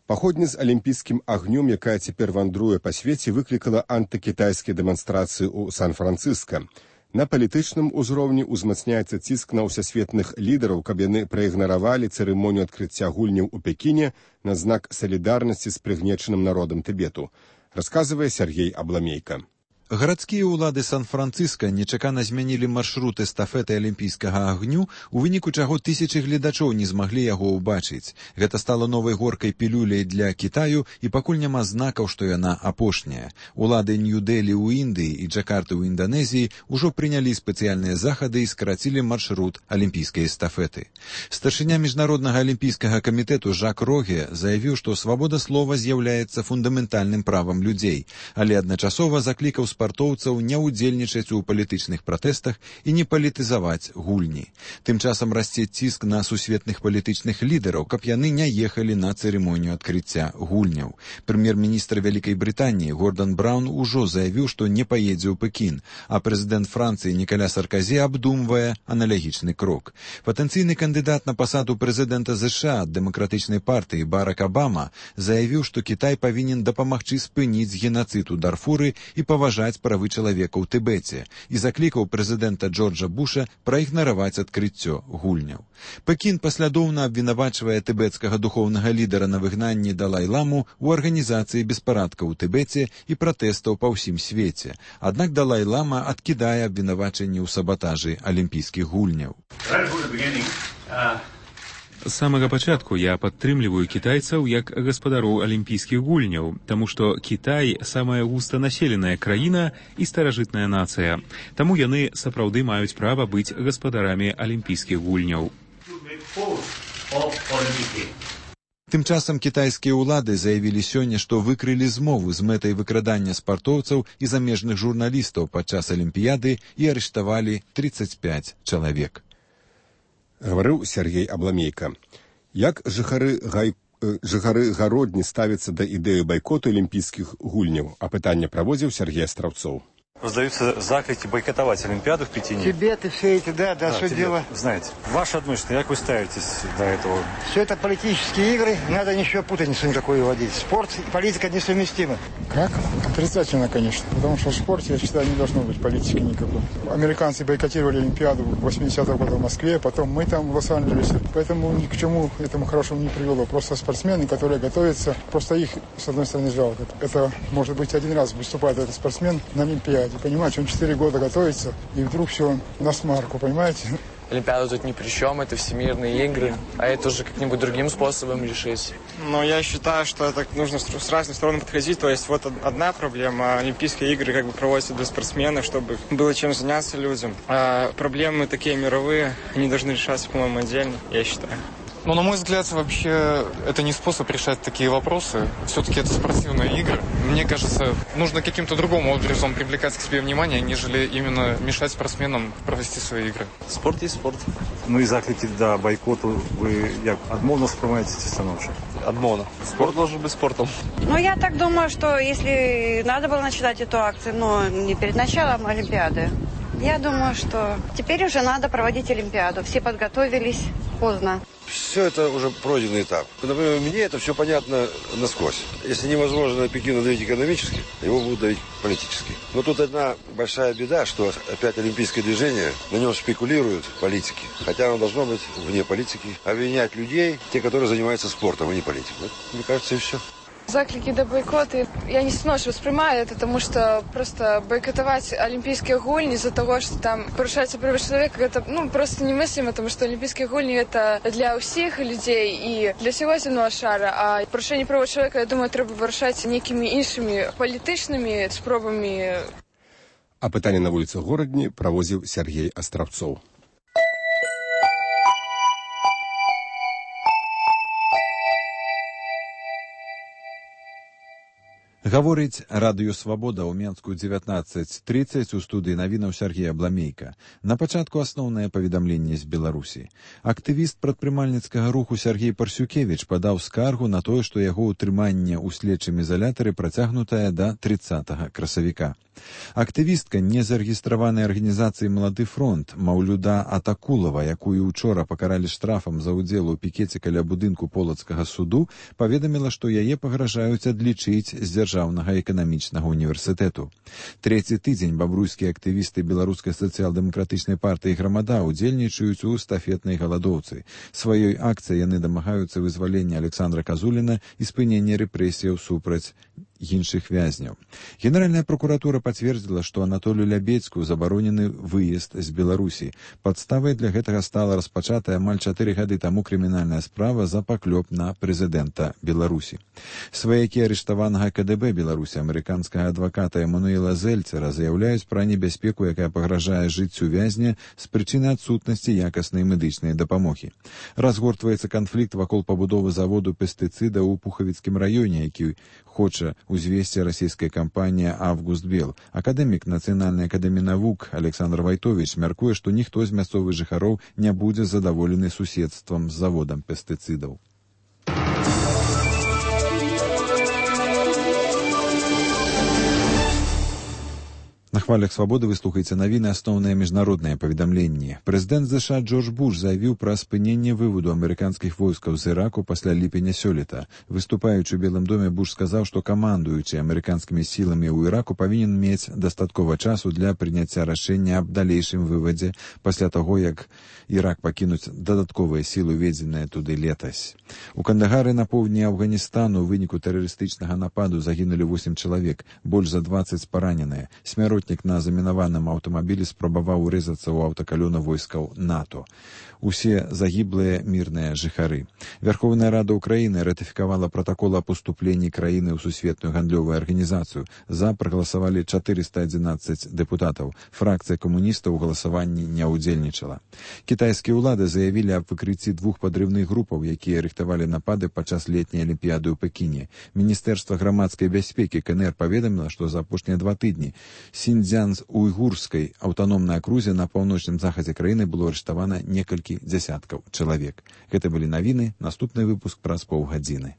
Паходня з алімпійскім агнём, якая цяпер вандруе па свеце, выклікала антыкітайскія дэманстрацыі ў Сан-Францыска. На палітычным узроўні ўзмацняецца ціск на ўсесветных лідараў, каб яны праігнаравалі цырымонію адкрыцця гульняў у Пекіне на знак салідарнасці з прыгнечаным народам Тыбету, расказвае Сергей Абламейка. Гарадскія ўлады Сан-Францыска нечакана змянілі маршрут эстафеты алімпійскага агню, у выніку чаго тысячы гледачоў не змаглі яго ўбачыць. Гэта стала новай горкай пілюляй для Кітаю, і пакуль няма знакаў, што яна апошняя. Улады Нью-Дэлі ў Індыі і Джакарты ў Інданезіі ўжо прынялі спецыяльныя захады і скарацілі маршрут алімпійскай эстафеты. Старшыня міжнароднага алімпійскага камітэту Жак Роге заявіў, што свабода слова з'яўляецца фундаментальным правам людзей, але адначасова заклікаў спартоўцаў не ўдзельнічаць у палітычных пратэстах і не палітызаваць гульні. Тым часам расце ціск на сусветных палітычных лідараў, каб яны не ехалі на цырымонію адкрыцця гульняў. Прэм'ер-міністр Вялікай Брытаніі Гордан Браўн ужо заявіў, што не паедзе ў Пекін, а прэзідэнт Францыі Нікаля Сарказі абдумвае аналагічны крок. Патэнцыйны кандыдат на пасаду прэзідэнта ЗША ад дэмакратычнай партыі Барак Абама заявіў, што Кітай павінен дапамагчы спыніць генацыд у Дарфуры і паважаць правы чалавека ў Тыбеце, і заклікаў прэзідэнта Джорджа Буша праігнараваць адкрыццё гульняў. Пекін паслядоўна абвінавачвае тыбецкага духоўнага лідара на выгнанні Далай-ламу ў арганізацыі беспарадкаў у Тыбеце і пратэстаў па ўсім свеце. Аднак Далай-лама адкідае абвінавачанні ў сабатажы алімпійскіх гульняў. З самага пачатку я падтрымліваю кітайцаў як гаспадароў алімпійскіх гульняў, таму што Кітай самая густанаселеная краіна і старажытная нацыя. Таму яны сапраўды маюць права быць гаспадарамі алімпійскіх гульняў. Тым часам кітайскія ўлады заявілі сёння, што выкрылі змову з мэтай выкрадання спартоўцаў і замежных журналістаў падчас алімпіяды і арыштавалі 35 чалавек. Гаварыў Сергей Абламейка. Як жыхары гародні ставяцца да ідэі байкоту алімпійскіх гульняў? Апытанне праводзіў Сергей Астраўцоў. Раздаются заклики бойкотовать Олимпиаду в Пекине. Тибеты, все эти, да, что дело. Знаете, ваше отношение, как вы ставитесь до этого? Все это политические игры, надо ничего путаницу никакой вводить. Спорт и политика несовместимы. Как? Отрицательно, конечно. Потому что в спорте, я считаю, не должно быть политики никакой. Американцы бойкотировали Олимпиаду в 80-х годах в Москве, потом мы там в Лос-Анджелесе. Поэтому ни к чему этому хорошему не привело. Просто спортсмены, которые готовятся, просто их, с одной стороны, жалко. Это, может быть, один раз выступает этот спортсмен на Олимпиаде. Понимаете, он 4 года готовится, и вдруг все на смарку, понимаете? Олимпиада тут ни при чем, это всемирные игры, а это уже как-нибудь другим способом решить. Но я считаю, что это нужно с разных сторон подходить. То есть вот одна проблема, Олимпийские игры как бы проводятся для спортсменов, чтобы было чем заняться людям. А проблемы такие мировые, они должны решаться, по-моему, отдельно, я считаю. Ну, на мой взгляд, вообще, это не способ решать такие вопросы. Все-таки это спортивные игры. Мне кажется, нужно каким-то другим образом привлекать к себе внимание, нежели именно мешать спортсменам провести свои игры. Спорт есть спорт. Ну и заклики до бойкоту вы як адмовно сприймаєте ці становища? Адмовно. Спорт должен быть спортом. Ну, я так думаю, что если надо было начинать эту акцию, но не перед началом Олимпиады, Я думаю, что теперь уже надо проводить Олимпиаду. Все подготовились поздно. Все это уже пройденный этап. Например, мне это все понятно насквозь. Если невозможно Пекину давить экономически, его будут давить политически. Но тут одна большая беда, что опять олимпийское движение, на нем спекулируют политики. Хотя оно должно быть вне политики. Обвинять людей, те, которые занимаются спортом, а не политикой. Вот, мне кажется, и все. Заклики до бойкота, я не сношу воспринимаю это, потому что просто бойкотовать Олимпийские гульни из-за того, что там порушаются права человека, это просто немыслимо, потому что Олимпийские гульни это для всех людей и для всего земного шара, а порушение права человека, я думаю, треба вирішати некими іншими політичними спробами. А пытанне на вуліцы Горадні правозіў Сергей Астравцоў. Гаворыць радыё «Свабода» ў Менску 19:30 у студыі навінаў Сергея Бламейка. На пачатку асноўнае паведамленне з Беларусі. Актывіст прадпрымальніцкага руху Сергей Парсюкевіч падаў скаргу на тое, што яго ўтрыманне ў следчым ізалятары працягнутае да 30 красавіка. Актывістка незарэгістраванай арганізацыі «Малады фронт» Маўлюда Атакулова, якую учора пакаралі штрафам за ўдзел у пікеце каля будынку Полацкага суду, паведаміла, што яе пагражаюць адлічыць з Дзяржаўнага эканамічнага універсітэту. Трэці тыдзень бабруйскія актывісты беларускай сацыял-дэмакратычнай партыі «Грамада» удзельнічаюць у эстафетнай галадоўцы. Сваёй акцыяй яны дамагаюцца вызвалення Александра Казуліна і спынення рэпрэсіяў супраць іншых вязняў. Генеральная прокуратура пацвердзіла, што Анатолію Лябедзьку забаронены выезд з Беларусі. Падставай для гэтага стала распачатая амаль 4 гады таму крымінальная справа за паклёп на прэзідэнта Беларусі. Сваякі арыштаванага КДБ Беларусі амерыканскага адваката Эмануэла Зельцера заяўляюць пра небяспеку, якая пагражае жыццю вязня з прычыны адсутнасці якаснай медычнай дапамогі. Разгортваецца канфлікт вакол пабудовы заводу пестыцыдаў у Пухавіцкім раёне, які хоча узвесці расійская кампанія «Августбел». Акадэмік Нацыянальнай акадэміі навук Александр Вайтович мяркуе, што ніхто з мясцовых жыхароў не будзе задаволены суседствам з заводам пестыцыдаў. На хвалях «Свабоды» вы слухаеце навіны асноўныя міжнародныя паведамленні. Прэзідэнт ЗША Джордж Буш заявіў пра спыненне выводу амерыканскіх войскаў з Іраку пасля ліпеня сёлета. Выступаючы ў Белым доме, Буш сказаў, што камандуючы амерыканскімі сіламі ў Іраку павінен мець дастаткова часу для прыняцця рашэння аб далейшым вывадзе пасля таго, як Ірак пакінуць дадатковыя сілы, уведзеныя туды летась. У Кандагары на поўдні Афганістану ў выніку тэрарыстычнага нападу загінулі 8 чалавек, больш за 20 параненыя. Смяротнік на замінаваным аўтамабілі спрабаваў урэзацца ў аўтакалёна войскаў НАТО. Усе загіблыя мірныя жыхары. Верховная Рада Украіны ратыфікавала пратакол о паступленні краіны ў сусветную гандлёвую арганізацыю. За прагаласавалі 411 дэпутатаў. Фракцыя камуністаў у галасаванні не ўдзельнічала. Кітайскія ўлады заявілі аб выкрыцці 2 падрыўных групаў, якія рыхтавалі напады падчас летняй алімпіяды ў Пекіне. Міністэрства грамадскай бяспекі КНР паведаміла, што за апошнія 2 тыдні Сіньцзян-Уйгурскай аўтаномнай акрузе на паўночным захадзе краіны было арыштавана некалькі дзясяткаў чалавек. Гэта былі навіны, наступны выпуск праз паўгадзіны.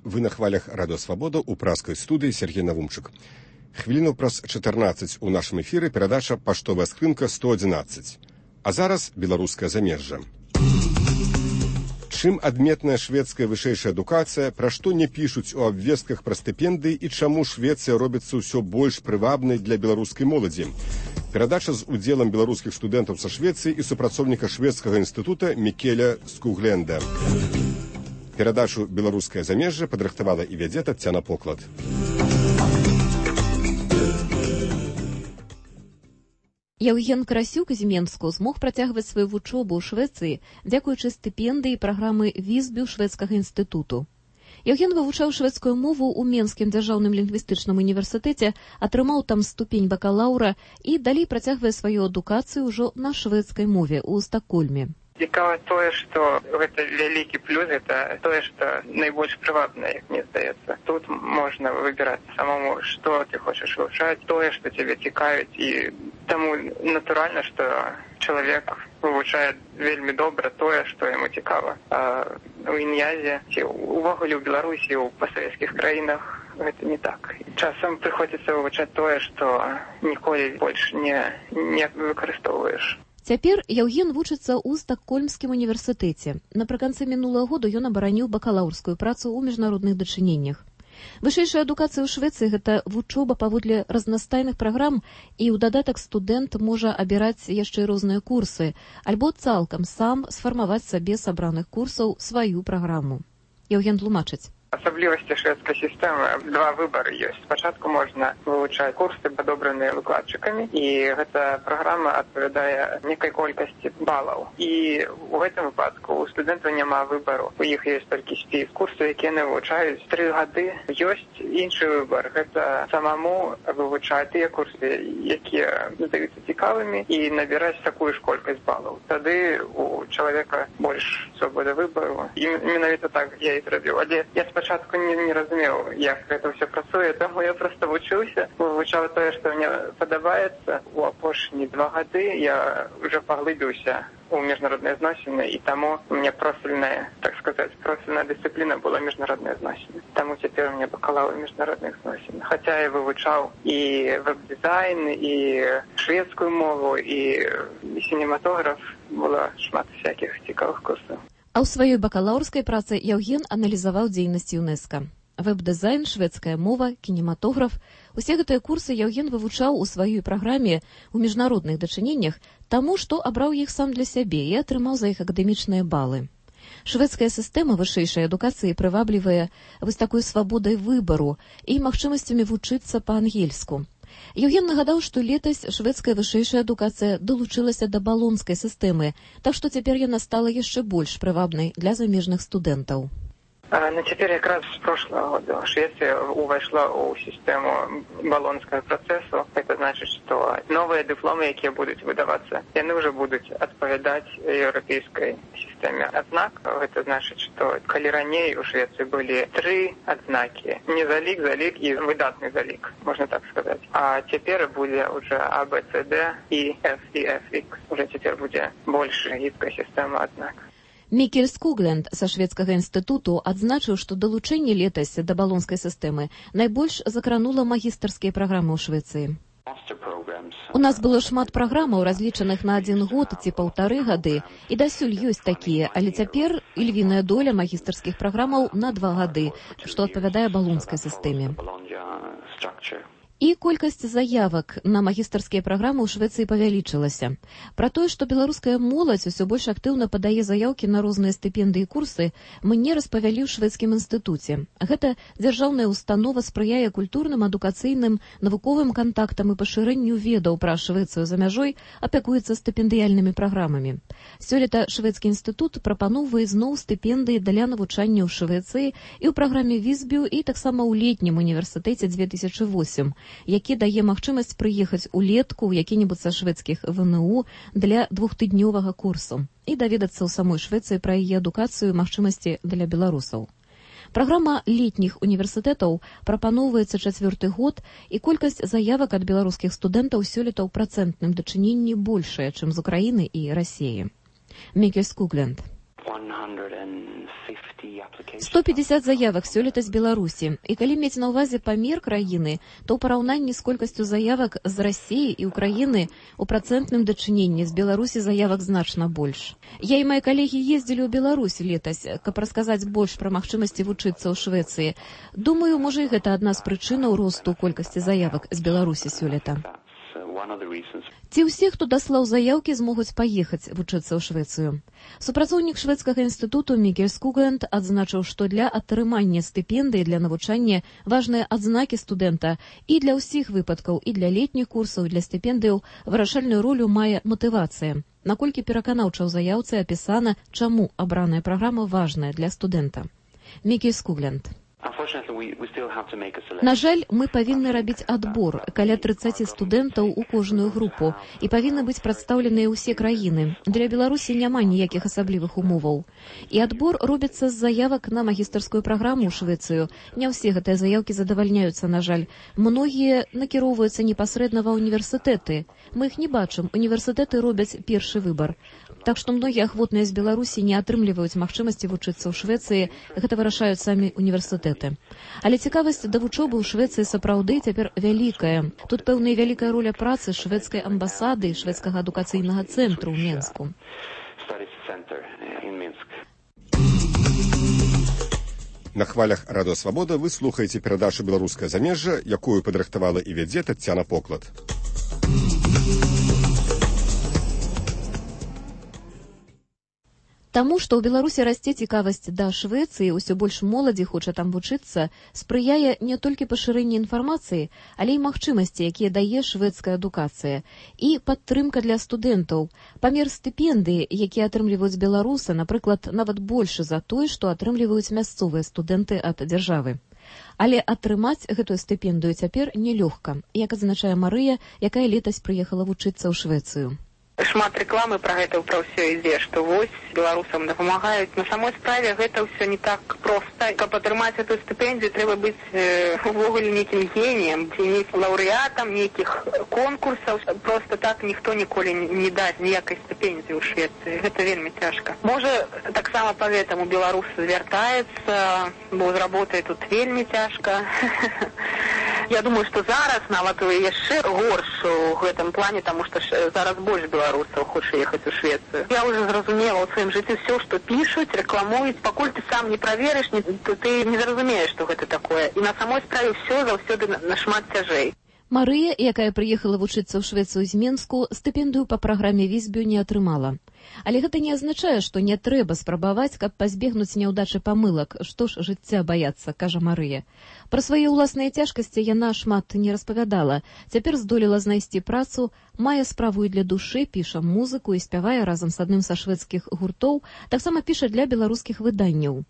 Вы на хвалях радыё «Свабода» у праскай студыі Сергей Навумчык. Хвіліну праз 14 у нашым эфіры перадача «Паштовая скрынка 111». А зараз беларускае замежжа. Чым адметная шведская вышэйшая адукацыя, пра што не пішуць у абвестках пра стыпендыі і чаму Швецыя робіцца ўсё больш прывабнай для беларускай моладзі. Перадача з удзелам беларускіх студэнтаў са Швецыі і супрацоўніка шведскага інстытута Мікеля Скугленда. Перадачу «Беларускае замежжа» падрыхтавала і вядзе Таццяна Поклад. Яўген Карасюк з Менску змог працягваць сваю вучобу ў Швецыі дзякуючы стыпендыі праграмы Візбю шведскага інстытуту. Яўген вывучаў шведскую мову ў Менскім дзяржаўным лінгвістычным універсітэце, атрымаў там ступень бакалаўра і далей працягвае сваю адукацыю ўжо на шведскай мове ў Стакгольме. Цікава тое, што гэта вялікі плюс, гэта тое, што найбольш прывабна, як мне здаецца. Тут можна выбіраць самому, што ты хочаш вывучаць, тое, што цябе цікавіць, і таму натуральна, што чалавек вывучае вельмі добра тое, што яму цікава. А у Ін'язе, ці увогуле ў Беларусі, у пасавецкіх краінах гэта не так. Часам прыходзіцца вывучаць тое, што ніколі больш не выкарыстоўваеш. Цяпер Яўген вучыцца ў Стакгольмскім універсітэце. Напрыканцы мінулага году ён абараніў бакалаўрскую працу ў міжнародных дачыненнях. Вышэйшая адукацыя ў Швецыі – гэта вучоба паводле разнастайных праграм, і ў дадатак студэнт можа абіраць яшчэ розныя курсы, альбо цалкам сам сфармаваць сабе з абраных курсаў сваю праграму. Яўген тлумачыць. Асаблівасці шведскай сістэмы два выбары ёсць. Спачатку можна вывучаць курсы, падобраныя выкладчыкамі, і гэта праграма адпавядае некай колькасці балаў. І ў гэтым выпадку у студэнтаў няма выбару. У іх ёсць толькі спіс курсаў, якія яны вывучаюць 3 гады. Ёсць іншы выбар. Гэта самому вывучаць тыя курсы, якія здаюцца цікавымі, і набіраць такую ж колькасць балаў. Тады у чалавека больш свабода выбару. І менавіта так я і зрабіў. Але я спачатку не разумеў, як гэта ўсё працуе, таму я проста вучыўся, вывучаў тое, што мне падабаецца. У апошнія 2 гады я ўжо паглыбіўся у міжнародныя зносіны, і таму у мяне профільная, так сказаць, профільная дысцыпліна была міжнародныя зносіны. Таму цяпер у мяне бакалаўр міжнародных зносін. Хаця я вывучаў і веб-дызайн, і шведскую мову, і сінематограф, было шмат всякіх цікавых курсаў. А ў сваёй бакалаўрскай працы Яўген аналізаваў дзейнасць ЮНЕСКО. Веб-дызайн, шведская мова, кінематограф – усе гэтыя курсы Яўген вывучаў у сваёй праграме ў міжнародных дачыненнях, таму што абраў іх сам для сябе і атрымаў за іх акадэмічныя балы. Шведская сістэма вышэйшай адукацыі прываблівае вось такой свабодай выбару і магчымасцямі вучыцца па-ангельску. Яўген нагадаў, што летась шведская вышэйшая адукацыя далучылася да балонскай сістэмы, так што цяпер яна стала яшчэ больш прывабнай для замежных студэнтаў. Теперь якраз с прошлого года Швеция увошла в систему болонского процесса. Это значит, что новые дипломы, которые будут выдаваться, они уже будут отповедать европейской системе ознак. Это значит, что коли ранее у Швеции были 3 отзнаки. Не залик, залик и выдатный залик, можно так сказать. А теперь будет уже А, Б, С, Д, И, Ф и Ф, Х. Уже теперь будет больше гибкая система ознак. Мікель Скугленд са шведскага інстытуту адзначыў, што далучэнне летась да балонскай сістэмы найбольш закранула магістарскія праграмы ў Швецыі. У нас было шмат праграмаў, разлічаных на 1 год ці 1,5 гады, і дасюль ёсць такія, але цяпер ільвіная доля магістарскіх праграмаў на 2 гады, што адпавядае балонскай сістэме. І колькасць заявак на магістарскія праграмы ў Швецыі павялічылася. Пра тое, што беларуская моладзь усё больш актыўна падае заяўкі на розныя стыпендыі і курсы, мне распавялі ў шведскім інстытуце. Гэта дзяржаўная установа спрыяе культурным, адукацыйным, навуковым кантактам і пашырэнню ведаў пра Швецыю за мяжой, апякуецца стыпендыяльнымі праграмамі. Сёлета шведскі інстытут прапаноўвае зноў стыпендыі для навучання ў Швецыі і ў праграме Візбю, і таксама ў летнім універсітэце 2008, які дае магчымасць прыехаць улетку ў які-небудзь са шведскіх ВНУ для 2-тыднёвага курсу і даведацца ў самой Швецыі пра яе адукацыю і магчымасці для беларусаў. Праграма летніх універсітэтаў прапаноўваецца 4-й год, і колькасць заявак ад беларускіх студэнтаў сёлета ў працэнтным дачыненні большая, чым з Украіны і Расіі. Мікель Скугленд. 150 заявак сёлета з Беларусі. І калі мець на ўвазе памер краіны, то ў параўнанні з колькасцю заявак з Расіі і Украіны у працэнтным дачыненні з Беларусі заявак значна больш. Я і мае калегі ездзілі ў Беларусь летась, каб расказаць больш пра магчымасці вучыцца ў Швецыі. Думаю, можа і гэта адна з прычынаў росту колькасці заявак з Беларусі сёлета. Ці ўсе, хто даслаў заяўкі, змогуць паехаць вучыцца ў Швецыю? Супрацоўнік шведскага інстытуту Мікель Скугленд адзначыў, што для атрымання стыпендыі для навучання важныя адзнакі студэнта, і для ўсіх выпадкаў, і для летніх курсаў, і для стыпендыяў вырашальную ролю мае матывацыя. Наколькі пераканаўча ў заяўцы апісана, чаму абраная праграма важная для студэнта. Мікель Скугленд. На жаль, мы павінны рабіць адбор, каля 30 студэнтаў у кожную групу, і павінны быць прадстаўленыя ўсе краіны. Для Беларусі няма ніякіх асаблівых умоваў. І адбор робіцца з заявак на магістарскую праграму ў Швецыю. Не ўсе гэтыя заявкі задавальняюцца, на жаль. Многія накіроўваюцца непасрэдна ва універсітэты. Мы іх не бачым, універсітэты робяць першы выбар. Так што многія ахвотныя з Беларусі не атрымліваюць магчымасці вучыцца ў Швецыі, гэта вырашаюць самі універсітэты. Але цікавасць да вучобы ў Швецыі сапраўды цяпер вялікая. Тут пэўная вялікая роля працы шведскай амбасады і шведскага адукацыйнага цэнтру ў Менску. На хвалях Радыё Свабода вы слухаеце перадачу «Беларускае замежжа», якую падрыхтавала і вядзе Таццяна Поклад. Таму, што ў Беларусі расце цікавасць да Швецыі, усё больш моладзі хоча там вучыцца, спрыяе не толькі пашырэнне інфармацыі, але і магчымасці, якія дае шведская адукацыя, і падтрымка для студэнтаў. Памер стыпендыі, якія атрымліваюць беларусы, напрыклад, нават большы за той, што атрымліваюць мясцовыя студэнты ад дзяржавы. Але атрымаць гэтую стыпендыю цяпер нелёгка, як адзначае Марыя, якая летась прыехала вучыцца ў Швецыю. Шмат рэкламы пра гэта ўпра ўсё ідзе, што вось беларусам дапамагаюць. На самой справе гэта ўсё не так проста. Каб атрымаць эту стыпендыю, трэба быць увогуле нейкім геніем, ці нейкім лаўрэатам нейкіх конкурсаў. Проста так ніхто ніколі не дасць ніякай стыпендыі ў Швецыі. Гэта вельмі цяжка. Можа, таксама паэтаму беларусы звяртаецца, бо з работай тут вельмі цяжка. Я думаю, што зараз нават яшчэ горш у гэтым плане, таму што зараз больш беларусаў хоча ехаць у Швецыю. Я ўжо зразумела ў сваім жыцці ўсё, што пішуць, рэкламуюць, пакуль ты сам не праверыш, ты не зразумееш, што гэта такое. І на самой справе ўсё заўсёды нашмат цяжэй. Марыя, якая прыехала вучыцца ў Швецыю з Менску, стыпендыю па праграме Візбю не атрымала. Але гэта не азначае, што не трэба спрабаваць, каб пазбегнуць няўдачы памылак. Што ж жыцця баяцца, кажа Марыя. Пра свае ўласныя цяжкасці яна шмат не распавядала. Цяпер здолела знайсці працу, мае справу і для душы, піша музыку і спявае разам з адным са шведскіх гуртоў, таксама піша для беларускіх выданняў.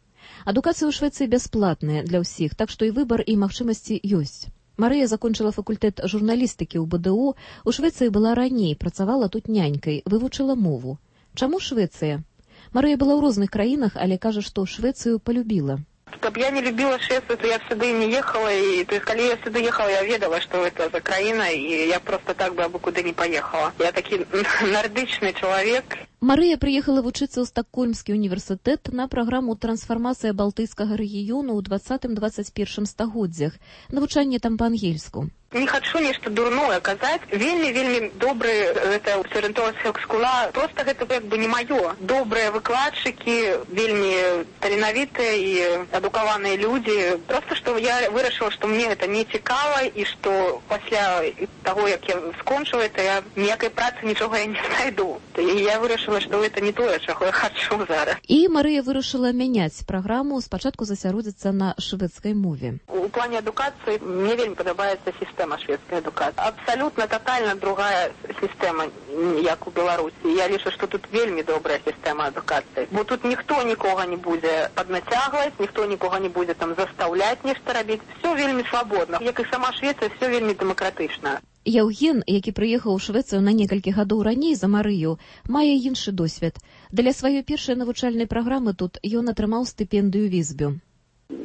Адукацыя ў Швецыі бясплатная для ўсіх, так што і выбар і магчымасці ёсць. Марыя закончыла факультэт журналістыкі ў БДУ, у Швецыі была раней, працавала тут нянькай, вывучыла мову. Чаму Швецыя? Марыя была ў розных краінах, але кажа, што Швецыю полюбіла. Каб я не любила Швецию, то я сюда не ехала. То есть, когда я сюда ехала, я ведала, что это за краина, и я просто так бы абы куда не поехала. Я таки нордичный человек. Марыя прыехала вучыцца ў Стокгольмскі універсітэт на праграму «Трансфармацыя Балтыйскага рэгіёну» ў 20-21 стагоддзях. Навучанне там па-ангельску. Не хочу нешта дурное казаць. Вельмі добры гэта сарэнтовая школа. Просто гэта як бы не маё. Добрыя выкладчыкі, вельмі таленавітыя і адукаваныя людзі. Просто што я вырашыла, што мне гэта не цікава і што пасля таго, як я скончыла это, я ніякай працы нічога я не знайду. І я вырашыла, што гэта не тое, чаго я хачу зараз. І Марыя вырашыла мяняць праграму, спачатку засяродзіцца на шведскай мове. У плане адукацыі мне вельмі падабаецца сістэма шведскай адукацыі. Абсалютна тотальна другая сістэма, як у Беларусі. Я лічу, што тут вельмі добрая сістэма адукацыі. Бо тут ніхто нікога не будзе паднацягваць, ніхто нікога не будзе там застаўляць нешта рабіць. Все вельмі свабодна. Як і сама Швецыя, все вельмі дэмакратычна. Яўген, які прыехаў у Швецыю на некалькі гадоў раней за Марыю, мае іншы досвед. Для сваёй першай навучальнай праграмы тут ён атрымаў стыпендыю Візбю.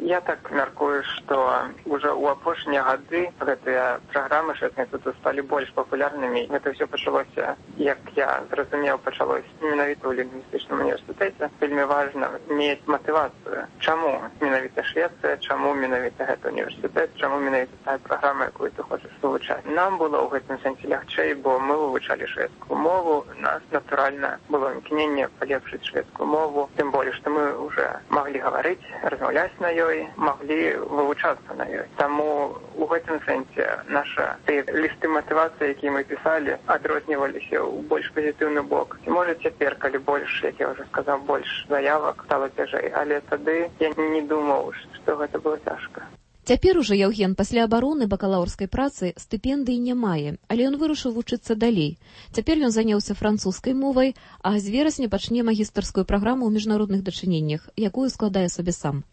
Я так мяркую, што ўжо ў апошнія гады гэтыя праграмы шведскія тут сталі больш папулярнымі. Гэта ўсё пачалося, як я зразумеў, пачалося менавіта ў лінгвістычным універсітэце. Вельмі важна мець матывацыю. Чаму менавіта Швецыя, чаму менавіта гэты універсітэт, чаму менавіта тая праграма, якую ты хочаш вывучаць. Нам было ў гэтым сэнсе лягчэй, бо мы вывучалі шведскую мову. У нас, натуральна, было імкненне палепшыць шведскую мову. Тым болей, што мы ўжо маглі гаварыць, размаўляць на ёй, маглі вывучацца на ёй. Таму у гэтым сэнсе наша лісты матывацыі, якія мы пісалі, адрозніваліся ў больш пазітыўны бок. І можа цяпер, калі больш, як я ўжо сказаў, больш заявак стала цяжэй, але тады я не думаў, што гэта было цяжка. Цяпер ужо Яўген пасля абароны бакалаўрскай працы стыпендыі не мае, але ён вырашыў вучыцца далей. Цяпер ён заняўся французскай мовай, а з верасня пачне магістарскую праграму ў міжнародных дачыненнях, якую складае сабе сам.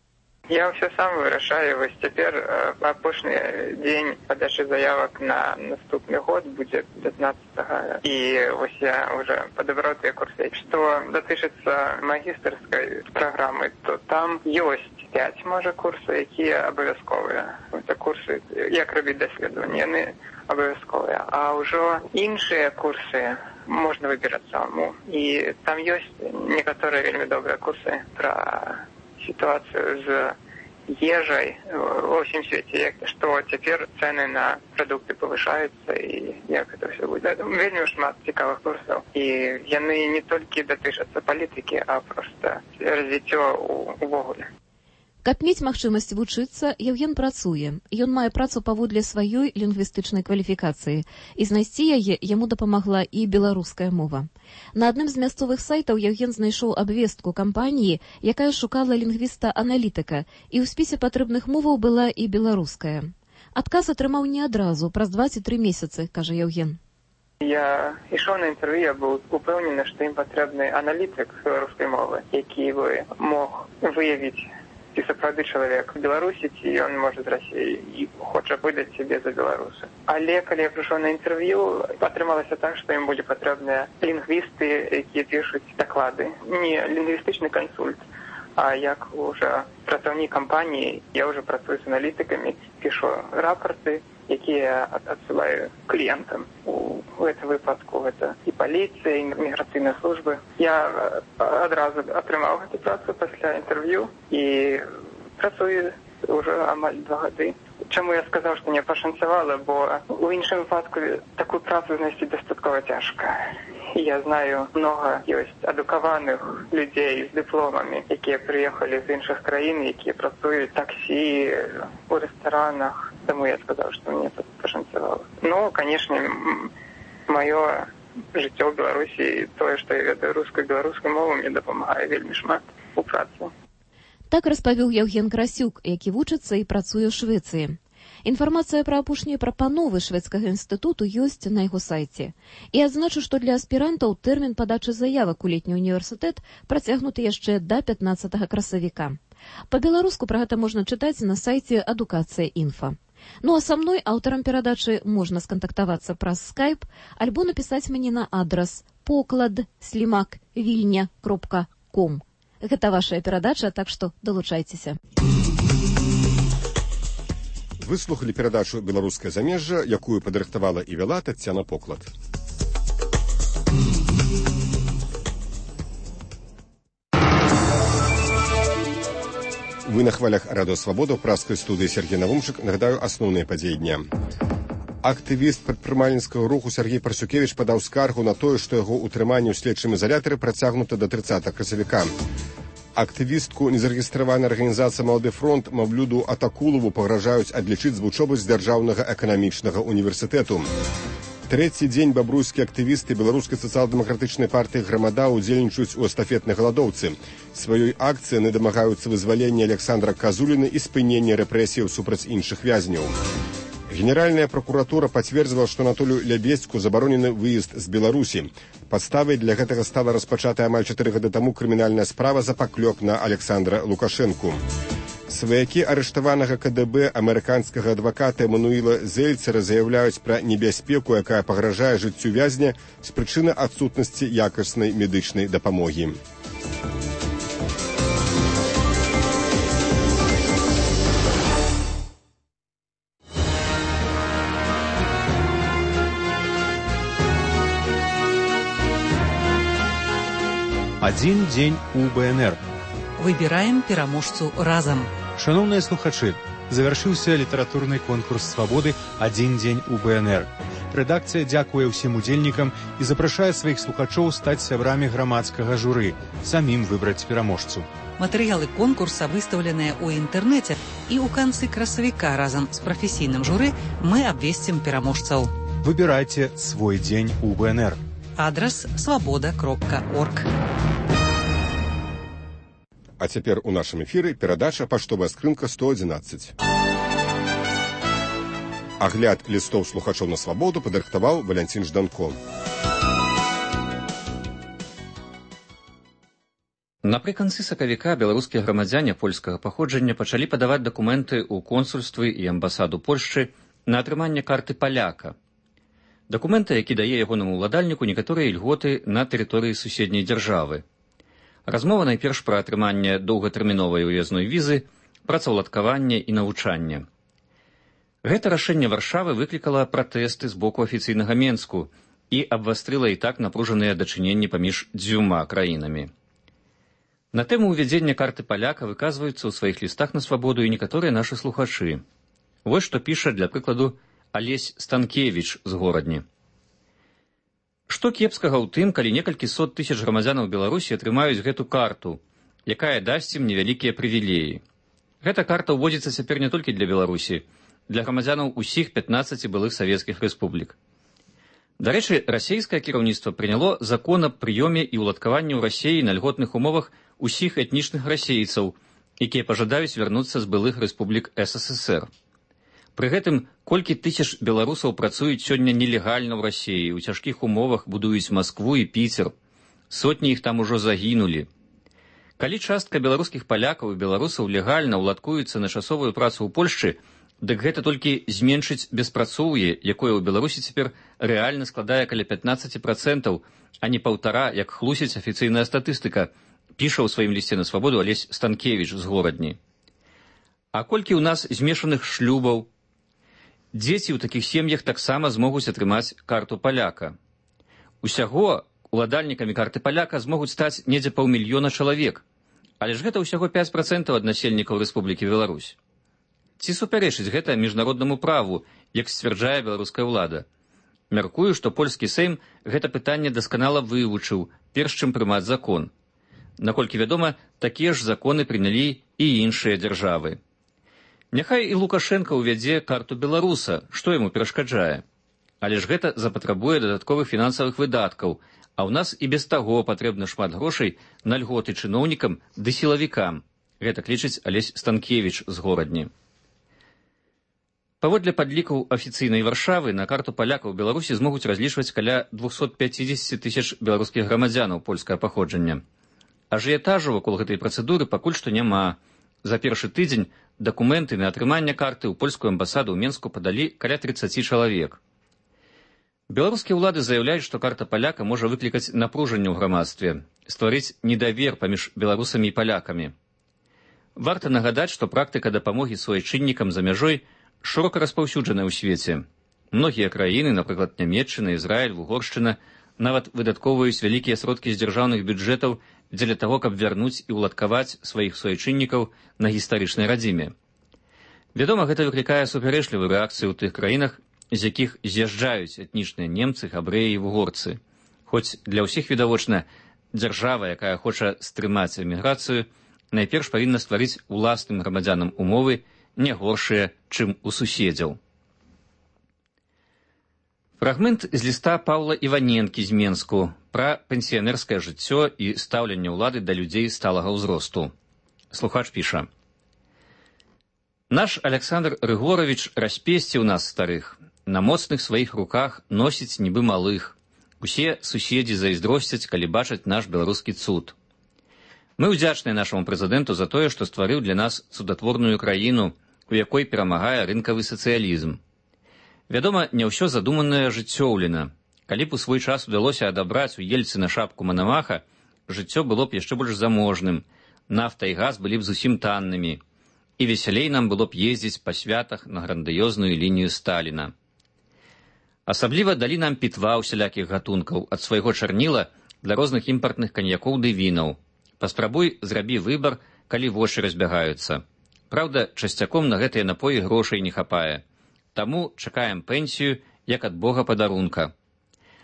Я все сам вырашаю. Вось цяпер апошні дзень падачы заявак на наступны год будзе 15-го. І вось я уже падабраў тыя курсы. Што датычыцца магістарскай праграмы, то там ёсць 5, можа, курсы, якія абавязковыя. Гэта курсы, як рабіць даследаванні, яны абавязковыя. А ўжо іншыя курсы можна выбіраць самому. І там ёсць некаторыя вельмі добрыя курсы пра ситуацию с ежей во всем свете, что теперь цены на продукты повышаются, и як это все будет. Вельмі шмат цікавых курсов. И яны не только датычацца политики, а просто развіццё увогуле. Каб мець магчымасць вучыцца, Яўген працуе. Ён мае працу паводле сваёй лінгвістычнай кваліфікацыі, і знайсці яе яму дапамагла і беларуская мова. На адным з мясцовых сайтаў Яўген знайшоў абвестку кампаніі, якая шукала лінгвіста-аналітыка, і ў спісе патрэбных моваў была і беларуская. Адказ атрымаў не адразу, праз 23 месяцы, кажа Яўген. Я ішоў на інтэрв'ю, я быў упэўнены, што ім патрэбны аналітык беларускай мовы, які бы мог выявіць, ці сапраўды чалавек Беларусі, ці ён можа з Расіі і хоча выдаць сябе за беларуса. Але калі я прыйшоў на інтэрв'ю, атрымалася так, што ім будзе патрэбныя лінгвісты, якія пішуць даклады. Не лінгвістычны кансульт, а як уже працаўнік кампаніі, я уже працую з аналітыкамі, пішу рапорты, якія адсылаю кліентам. У гэтым выпадку гэта і паліцыя, і міграцыйныя службы. Я адразу атрымаў гэту працу пасля інтэрв'ю і працую ўжо амаль 2 гады. Чаму я сказаў, што не пашанцавала, бо у іншым выпадку такую працу знайсці дастаткова цяжка. Я знаю, много ёсць адукаваных людзей з дыпломамі, якія прыехалі з іншых краін, якія працуюць таксі, у рэстаранах. Таму я сказаў, што мне пашанцавала. Ну, канешне, маё жыццё ў Беларусі, тое, што я ведаю рускую і беларускую мову, мне дапамагае вельмі шмат у працы. Так распавёў Яўген Красюк, які вучыцца і працуе ў Швецыі. Інфармацыя пра апошнія прапановы шведскага інстытуту ёсць на яго сайце. І адзначу, што для аспірантаў тэрмін падачы заявак у летні універсітэт працягнуты яшчэ да 15 красавіка. Па-беларуску пра гэта можна чытаць на сайце Адукацыя.Інфа. Ну а са мной, аўтарам перадачы, можна скантактавацца праз скайп альбо напісаць мне на адрас poklad@vilnia.com. Гэта вашая перадача, так што далучайцеся. Выслухалі перадачу «Беларускае замежжа», якую падрыхтавала і вяла Таццяна Поклад. Вы на хвалях Радыё Свабода, ў праскай студыі Сергей Навумчык. Нагадаю асноўныя падзеі дня. Актывіст прадпрымальніцкага руху Сергей Парсюкевіч падаў скаргу на тое, што яго ўтрыманне ў следчым ізалятары працягнута да 30 красавіка. Актывістку незарэгістраванай арганізацыі «Малады фронт» Маўлюду Атакулову пагражаюць адлічыць з вучобы з Дзяржаўнага эканамічнага універсітэту. Трэці дзень бабруйскія актывісты беларускай сацыял-дэмакратычнай партыі «Грамада» удзельнічаюць у эстафетнай галадоўцы. Сваёй акцыі яны дамагаюцца вызвалення Александра Казуліна і спынення рэпрэсіяў супраць іншых вязняў. Генеральная прокуратура пацвердзіла, што Анатолію Лябедзьку забаронены выезд з Беларусі. Падставай для гэтага стала распачатая амаль 4 гады таму крымінальная справа за паклёп на Александра Лукашэнку. Сваякі арыштаванага КДБ амерыканскага адваката Эмануіла Зельцера заяўляюць пра небяспеку, якая пагражае жыццю вязня з прычыны адсутнасці якаснай медычнай дапамогі. Адзін дзень у БНР. Выбіраем пераможцу разам. Шановныя слухачы, завяршыўся літаратурны конкурс «Свабоды. Адзін дзень у БНР». Рэдакцыя дзякуе ўсім удзельнікам і запрашае сваіх слухачоў стаць сябрамі грамадскага журы, самім выбраць пераможцу. Матэрыялы конкурса выстаўленыя ў інтэрнэце, і ў канцы красавіка разам з прафесійным журы мы абвесцім пераможцаў. Выбірайце свой дзень у БНР. Адрас свабода.орг. А цяпер у нашым эфіры перадача «Паштовая скрынка 111». Агляд лістоў слухачоў на свабоду падрыхтаваў Валянцін Жданко. Напрыканцы сакавіка беларускія грамадзяне польскага паходжання пачалі падаваць дакументы ў консульствы і амбасаду Польшчы на атрыманне карты паляка. Дакументы, які дае ягонаму ўладальніку некаторыя ільготы на тэрыторыі суседняй дзяржавы. Размова найперш пра атрыманне доўгатэрміновай уязной візы, працаўладкаванне і навучанне. Гэта рашэнне Варшавы выклікала пратэсты з боку афіцыйнага Менску і абвастрыла і так напружаныя дачыненні паміж дзвюма краінамі. На тэму ўвядзення карты паляка выказваюцца ў сваіх лістах на свабоду і некаторыя нашы слухачы. Вось што піша, для прыкладу, Алесь Станкевіч з Горадні. Што кепскага ў тым, калі некалькі сот тысяч грамадзянаў Беларусі атрымаюць гэту карту, якая дасць ім невялікія прывілеі. Гэта карта ўводзіцца цяпер не толькі для Беларусі, для грамадзянаў усіх 15 былых савецкіх рэспублік. Дарэчы, расейскае кіраўніцтва прыняло закон аб прыёме і ўладкаванні ў Расеі на льготных умовах усіх этнічных расейцаў, якія пажадаюць вярнуцца з былых рэспублік СССР. Пры гэтым, колькі тысяч беларусаў працуюць сёння нелегальна ў Расеі, у цяжкіх умовах будуюць Маскву і Піцер. Сотні іх там ужо загінулі. Калі частка беларускіх палякаў і беларусаў легальна ўладкуюцца на часовую працу ў Польшчы, дык гэта толькі зменшыць беспрацоўе, якое ў Беларусі цяпер рэальна складае каля 15%, а не 1,5%, як хлусіць афіцыйная статыстыка, піша ў сваім лісце на свабоду Алесь Станкевіч з Горадні. А колькі ў нас змешаных шлюбаў? Дзеці ў такіх сем'ях таксама змогуць атрымаць карту паляка. Усяго уладальнікамі карты паляка змогуць стаць недзе 500 000 чалавек, але ж гэта ўсяго 5% ад насельнікаў Рэспублікі Беларусь. Ці супярэчыць гэта міжнароднаму праву, як сцвярджае беларуская ўлада? Мяркую, што польскі Сейм гэта пытанне дасканала вывучыў, перш чым прымаць закон. Наколькі вядома, такія ж законы прынялі і іншыя дзяржавы. Няхай і Лукашенка ўвядзе карту беларуса, што яму перашкаджае. Але ж гэта запатрабуе дадатковых фінансавых выдаткаў, а ў нас і без таго патрэбна шмат грошай на льготы чыноўнікам ды сілавікам. Гэта лічыць Алесь Станкевіч з Горадні. Паводле падлікаў афіцыйнай Варшавы, на карту палякаў Беларусі змогуць разлічваць каля 250 000 беларускіх грамадзянаў польскага паходжання. Ажыятажу вакол гэтай працэдуры пакуль што няма. За першы тыдзень дакументы на атрыманне карты ў польскую амбасаду ў Менску падалі каля 30 чалавек. Беларускія ўлады заяўляюць, што карта паляка можа выклікаць напружанне ў грамадстве, стварыць недавер паміж беларусамі і палякамі. Варта нагадаць, што практыка дапамогі суайчыннікам за мяжой шырока распаўсюджаная ў свеце. Многія краіны, напрыклад, Нямецчына, Ізраіль, Угоршчына, нават выдаткоўваюць вялікія сродкі з дзяржаўных бюджэтаў дзеля таго, каб вярнуць і ўладкаваць сваіх суайчыннікаў на гістарычнай радзіме. Вядома, гэта выклікае супярэчлівую рэакцыю ў тых краінах, з якіх з'язджаюць этнічныя немцы, габрэі і вугорцы. Хоць для ўсіх відавочна, дзяржава, якая хоча стрымаць эміграцыю, найперш павінна стварыць уласным грамадзянам умовы, не горшыя, чым у суседзяў. Фрагмент з ліста Паўла Іваненкі з Менску пра пенсіянерскае жыццё і стаўленне ўлады да людзей сталага ўзросту. Слухач піша. Наш Александр Рыгорович распесціў нас старых. На моцных сваіх руках носіць нібы малых. Усе суседзі зайздросцяць, калі бачаць наш беларускі цуд. Мы ўдзячныя нашаму прэзідэнту за тое, што стварыў для нас цудатворную краіну, у якой перамагае рынкавы сацыялізм. Вядома, не ўсё задуманае жыццёўлена. Калі б у свой час удалося адабраць у Ельцына шапку Манамаха, жыццё было б яшчэ больш заможным, нафта і газ былі б зусім таннымі, і весялей нам было б ездзіць па святах на грандыёзную лінію Сталіна. Асабліва далі нам пітва ўсялякіх гатункаў, ад свайго чарніла для розных імпартных каньякоў ды вінаў. Паспрабуй, зрабі выбар, калі вочы разбягаюцца. Праўда, часцяком на гэтыя напоі грошай не хапае. Таму чакаем пенсію, як ад Бога падарунка.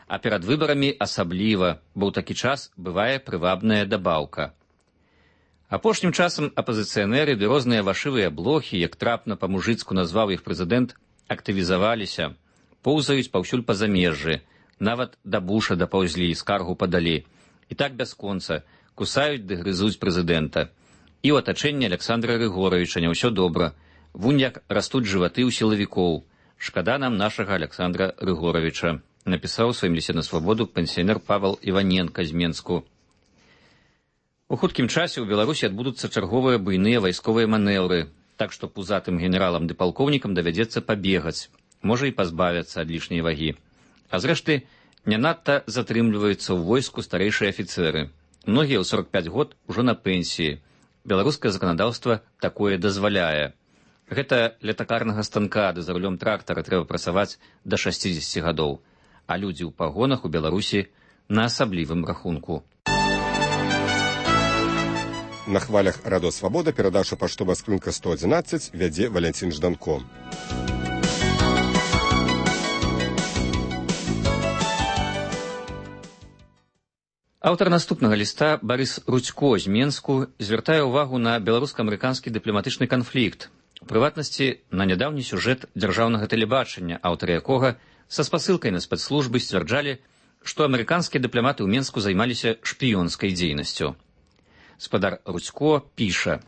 А перад выбарамі асабліва, бо ў такі час бывае прывабная дабаўка. Апошнім часам апазіцыянеры ды розныя вашывыя блохі, як трапна па-мужыцку назваў іх прэзідэнт, актывізаваліся, поўзаюць паўсюль па замежжы, нават да Буша дапаўзлі, скаргу падалі. І так бясконца, кусаюць ды грызуць прэзідэнта. І ў атачэнні Александра Рыгоровича не ўсё добра. Вунь як растуць жываты ў сілавікоў. Шкада нам нашага Александра Рыгоровича, напісаў у сваім лісце на свабоду пенсіянер Павел Іваненка з Менску. У хуткім часе ў Беларусі адбудуцца чарговыя буйныя вайсковыя манеўры, так што пузатым генералам ды палкоўнікам давядзецца пабегаць, можа і пазбавяцца ад лішняй вагі. А зрэшты, не надта затрымліваюцца ў войску старэйшыя афіцэры. Многія ў 45 год ужо на пенсіі. Беларускае заканадаўства такое дазваляе. Гэта ля такарнага станка ды за рулём трактара трэба працаваць да 60 гадоў, а людзі ў пагонах у Беларусі на асаблівым рахунку. На хвалях Радо Свабода перадача паштовая скрынка 111 вядзе Валянцін Жданко. Аўтар наступнага ліста Барыс Рудзько з Менску звяртае ўвагу на беларуска-амерыканскі дыпламатычны канфлікт, у прыватнасці на нядаўні сюжэт дзяржаўнага тэлебачання, аўтары якога са спасылкай на спецслужбы сцвярджалі, што амерыканскія дыпламаты ў Менску займаліся шпіёнскай дзейнасцю. Спадар Рудзько піша: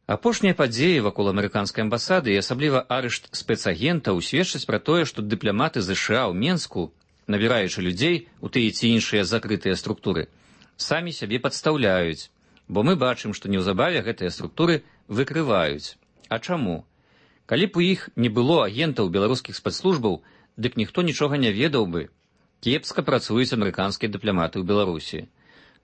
апошнія падзеі вакол амерыканскай амбасады і асабліва арышт спецагентаў сведчаць пра тое, што дыпламаты ЗША ў Менску, набіраючы людзей у тыя ці іншыя закрытыя структуры, самі сябе падстаўляюць, бо мы бачым, што неўзабаве гэтыя структуры выкрываюць. А чаму? Калі б у іх не было агентаў беларускіх спецслужбаў, дык ніхто нічога не ведаў бы. Кепска працуюць амерыканскія дыпламаты ў Беларусі.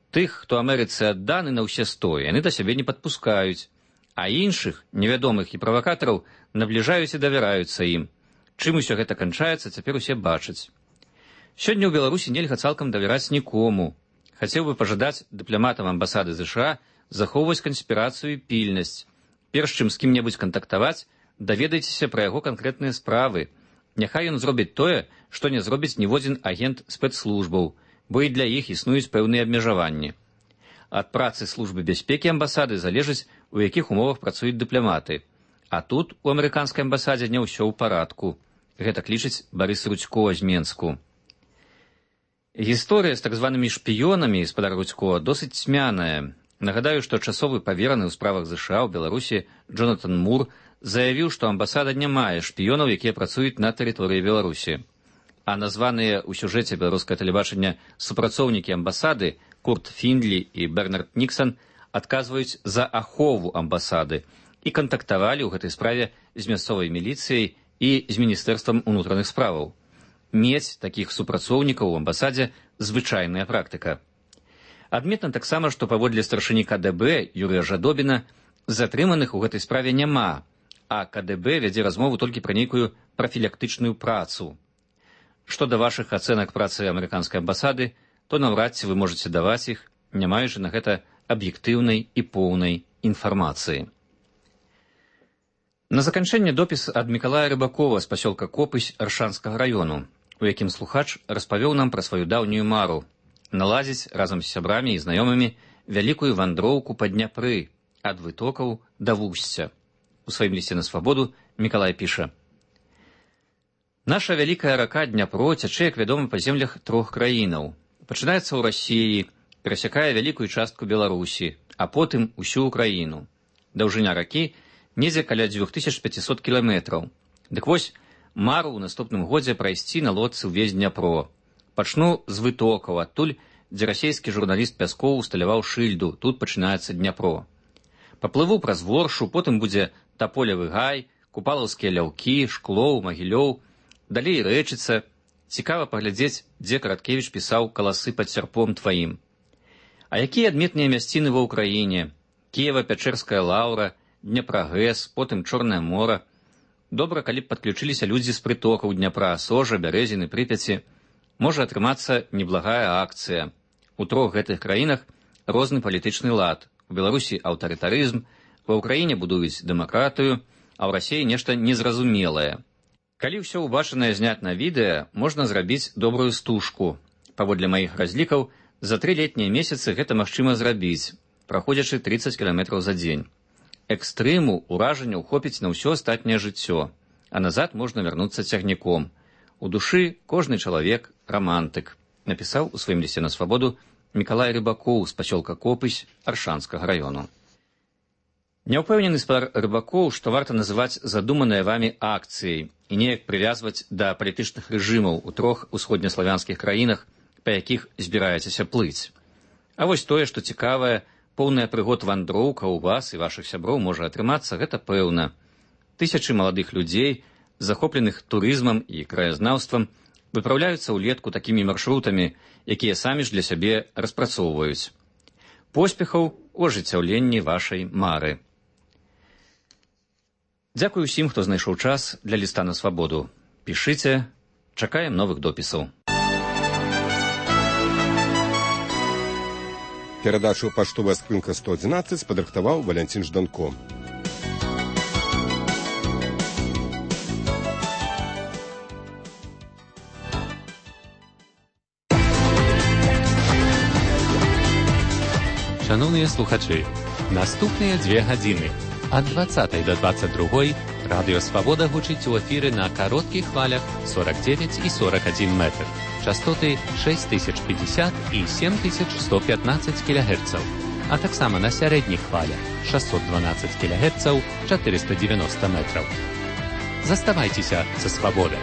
Тых, хто Амерыцы адданы на ўсе 100, яны да сябе не падпускаюць, а іншых, невядомых і правакатараў, набліжаюць і давяраюцца ім. Чым усё гэта канчаецца, цяпер усе бачаць. Сёння ў Беларусі нельга цалкам давяраць нікому. Хацеў бы пажадаць дыпламатам амбасады ЗША захоўваць канспірацыю і пільнасць. Перш чым з кім-небудзь кантактаваць, даведайцеся пра яго канкрэтныя справы. Няхай ён зробіць тое, што не зробіць ніводзін агент спецслужбаў, бо і для іх існуюць пэўныя абмежаванні. Ад працы службы бяспекі амбасады залежыць, у якіх умовах працуюць дыпламаты. А тут у амерыканскай амбасадзе не ўсё ў парадку. Гэта лічыць Барыс Рудзько з Менску. Гісторыя з так званымі шпіёнамі, спадар Рудзько, досыць цьмяная. Нагадаю, што часовы павераны ў справах ЗША ў Беларусі Джонатан Мур заявіў, што амбасада не мае шпіёнаў, якія працуюць на тэрыторыі Беларусі. А названыя ў сюжэце беларускае тэлебачання супрацоўнікі амбасады Курт Фіндлі і Бернард Ніксан адказваюць за ахову амбасады і кантактавалі ў гэтай справе з мясцовай міліцыяй і з міністэрствам унутраных справаў. Мець такіх супрацоўнікаў у амбасадзе звычайная практыка. Адметна таксама, што паводле старшыні КДБ Юрыя Жадобіна затрыманых у гэтай справе няма, а КДБ вядзе размову толькі пра нейкую прафілактычную працу. Што да вашых ацэнак працы амерыканскай амбасады, то наўрад ці вы можаце даваць іх, не маючы на гэта аб'ектыўнай і поўнай інфармацыі. На заканчэнне допіс ад Мікалая Рыбакова з пасёлка Копысь Аршанскага раёну, у якім слухач распавёў нам пра сваю даўнюю мару наладзіць разам з сябрамі і знаёмымі вялікую вандроўку па Дняпры ад вытокаў да вусця. У сваім лісце на Свабоду Мікалай піша: наша вялікая рака Дняпро цячэ, як вядома, па землях 3 краінаў. Пачынаецца ў Расіі, перасякае вялікую частку Беларусі, а потым усю Украіну. Даўжыня ракі недзе каля 2500 кіламетраў. Дык вось, мару ў наступным годзе прайсці на лодцы ўвесь Дняпро. Пачну з вытокаў, адтуль, дзе расійскі журналіст Пяскоў усталяваў шыльду, тут пачынаецца Дняпро. Паплыву праз Воршу, потым будзе Таполевы гай, Купалаўскія ляўкі, Шклоў, Магілёў, далей Рэчыца. Цікава паглядзець, дзе Караткевіч пісаў «Каласы пад сярпом тваім». А якія адметныя мясціны ва ўкраіне? Кіева-Пячэрская лаўра, Дняпрагэс, потым Чорнае мора. Добра, калі б падключыліся людзі з прытокаў Дняпра, Сожа, Бярэзіны, Прыпяці. Можа атрымацца неблагая акцыя. У 3 гэтых краінах розны палітычны лад. У Беларусі аўтарытарызм, ва ўкраіне будуюць дэмакратыю, а ў Расіі нешта незразумелае. Калі ўсё ўбачанае зняць на відэа, можна зрабіць добрую стужку. Паводле маіх разлікаў, за 3 летнія месяцы гэта магчыма зрабіць, праходзячы 30 кіламетраў за дзень. Экстрыму, уражанняў хопіць на ўсё астатняе жыццё, а назад можна вярнуцца цягніком. У душы кожны чалавек рамантык, напісаў у сваім лісце на Свабоду Мікалай Рыбакоў з пасёлка Копысь Аршанскага раёну. Няўпэўнены спадар Рыбакоў, што варта называць задуманыя вамі акцыяй і неяк прывязваць да палітычных рэжымаў у 3 усходнеславянскіх краінах, па якіх збіраецеся плыць. А вось тое, што цікавае, поўная прыгод вандроўка ў вас і вашых сяброў можа атрымацца, гэта пэўна. Тысячы маладых людзей, захопленых турызмам і краязнаўствам, выпраўляюцца ўлетку такімі маршрутамі, якія самі ж для сябе распрацоўваюць. Поспехаў у ажыццяўленні вашай мары. Дзякуй усім, хто знайшоў час для ліста на свабоду. Пішыце, чакаем новых допісаў. Перадачу «Паштовая скрынка 111» падрыхтаваў Валянцін Жданко. Шановныя слухачы, наступныя 2 гадзіны ад 20 до 22 радыё «Свабода» гучыць у эфіры на кароткіх хвалях 49 і 41 метр. Частоты 6050 і 7115 кГц, а таксама на сярэдніх хвалях 612 кГц 490 метраў. Заставайцеся са «Свабодай».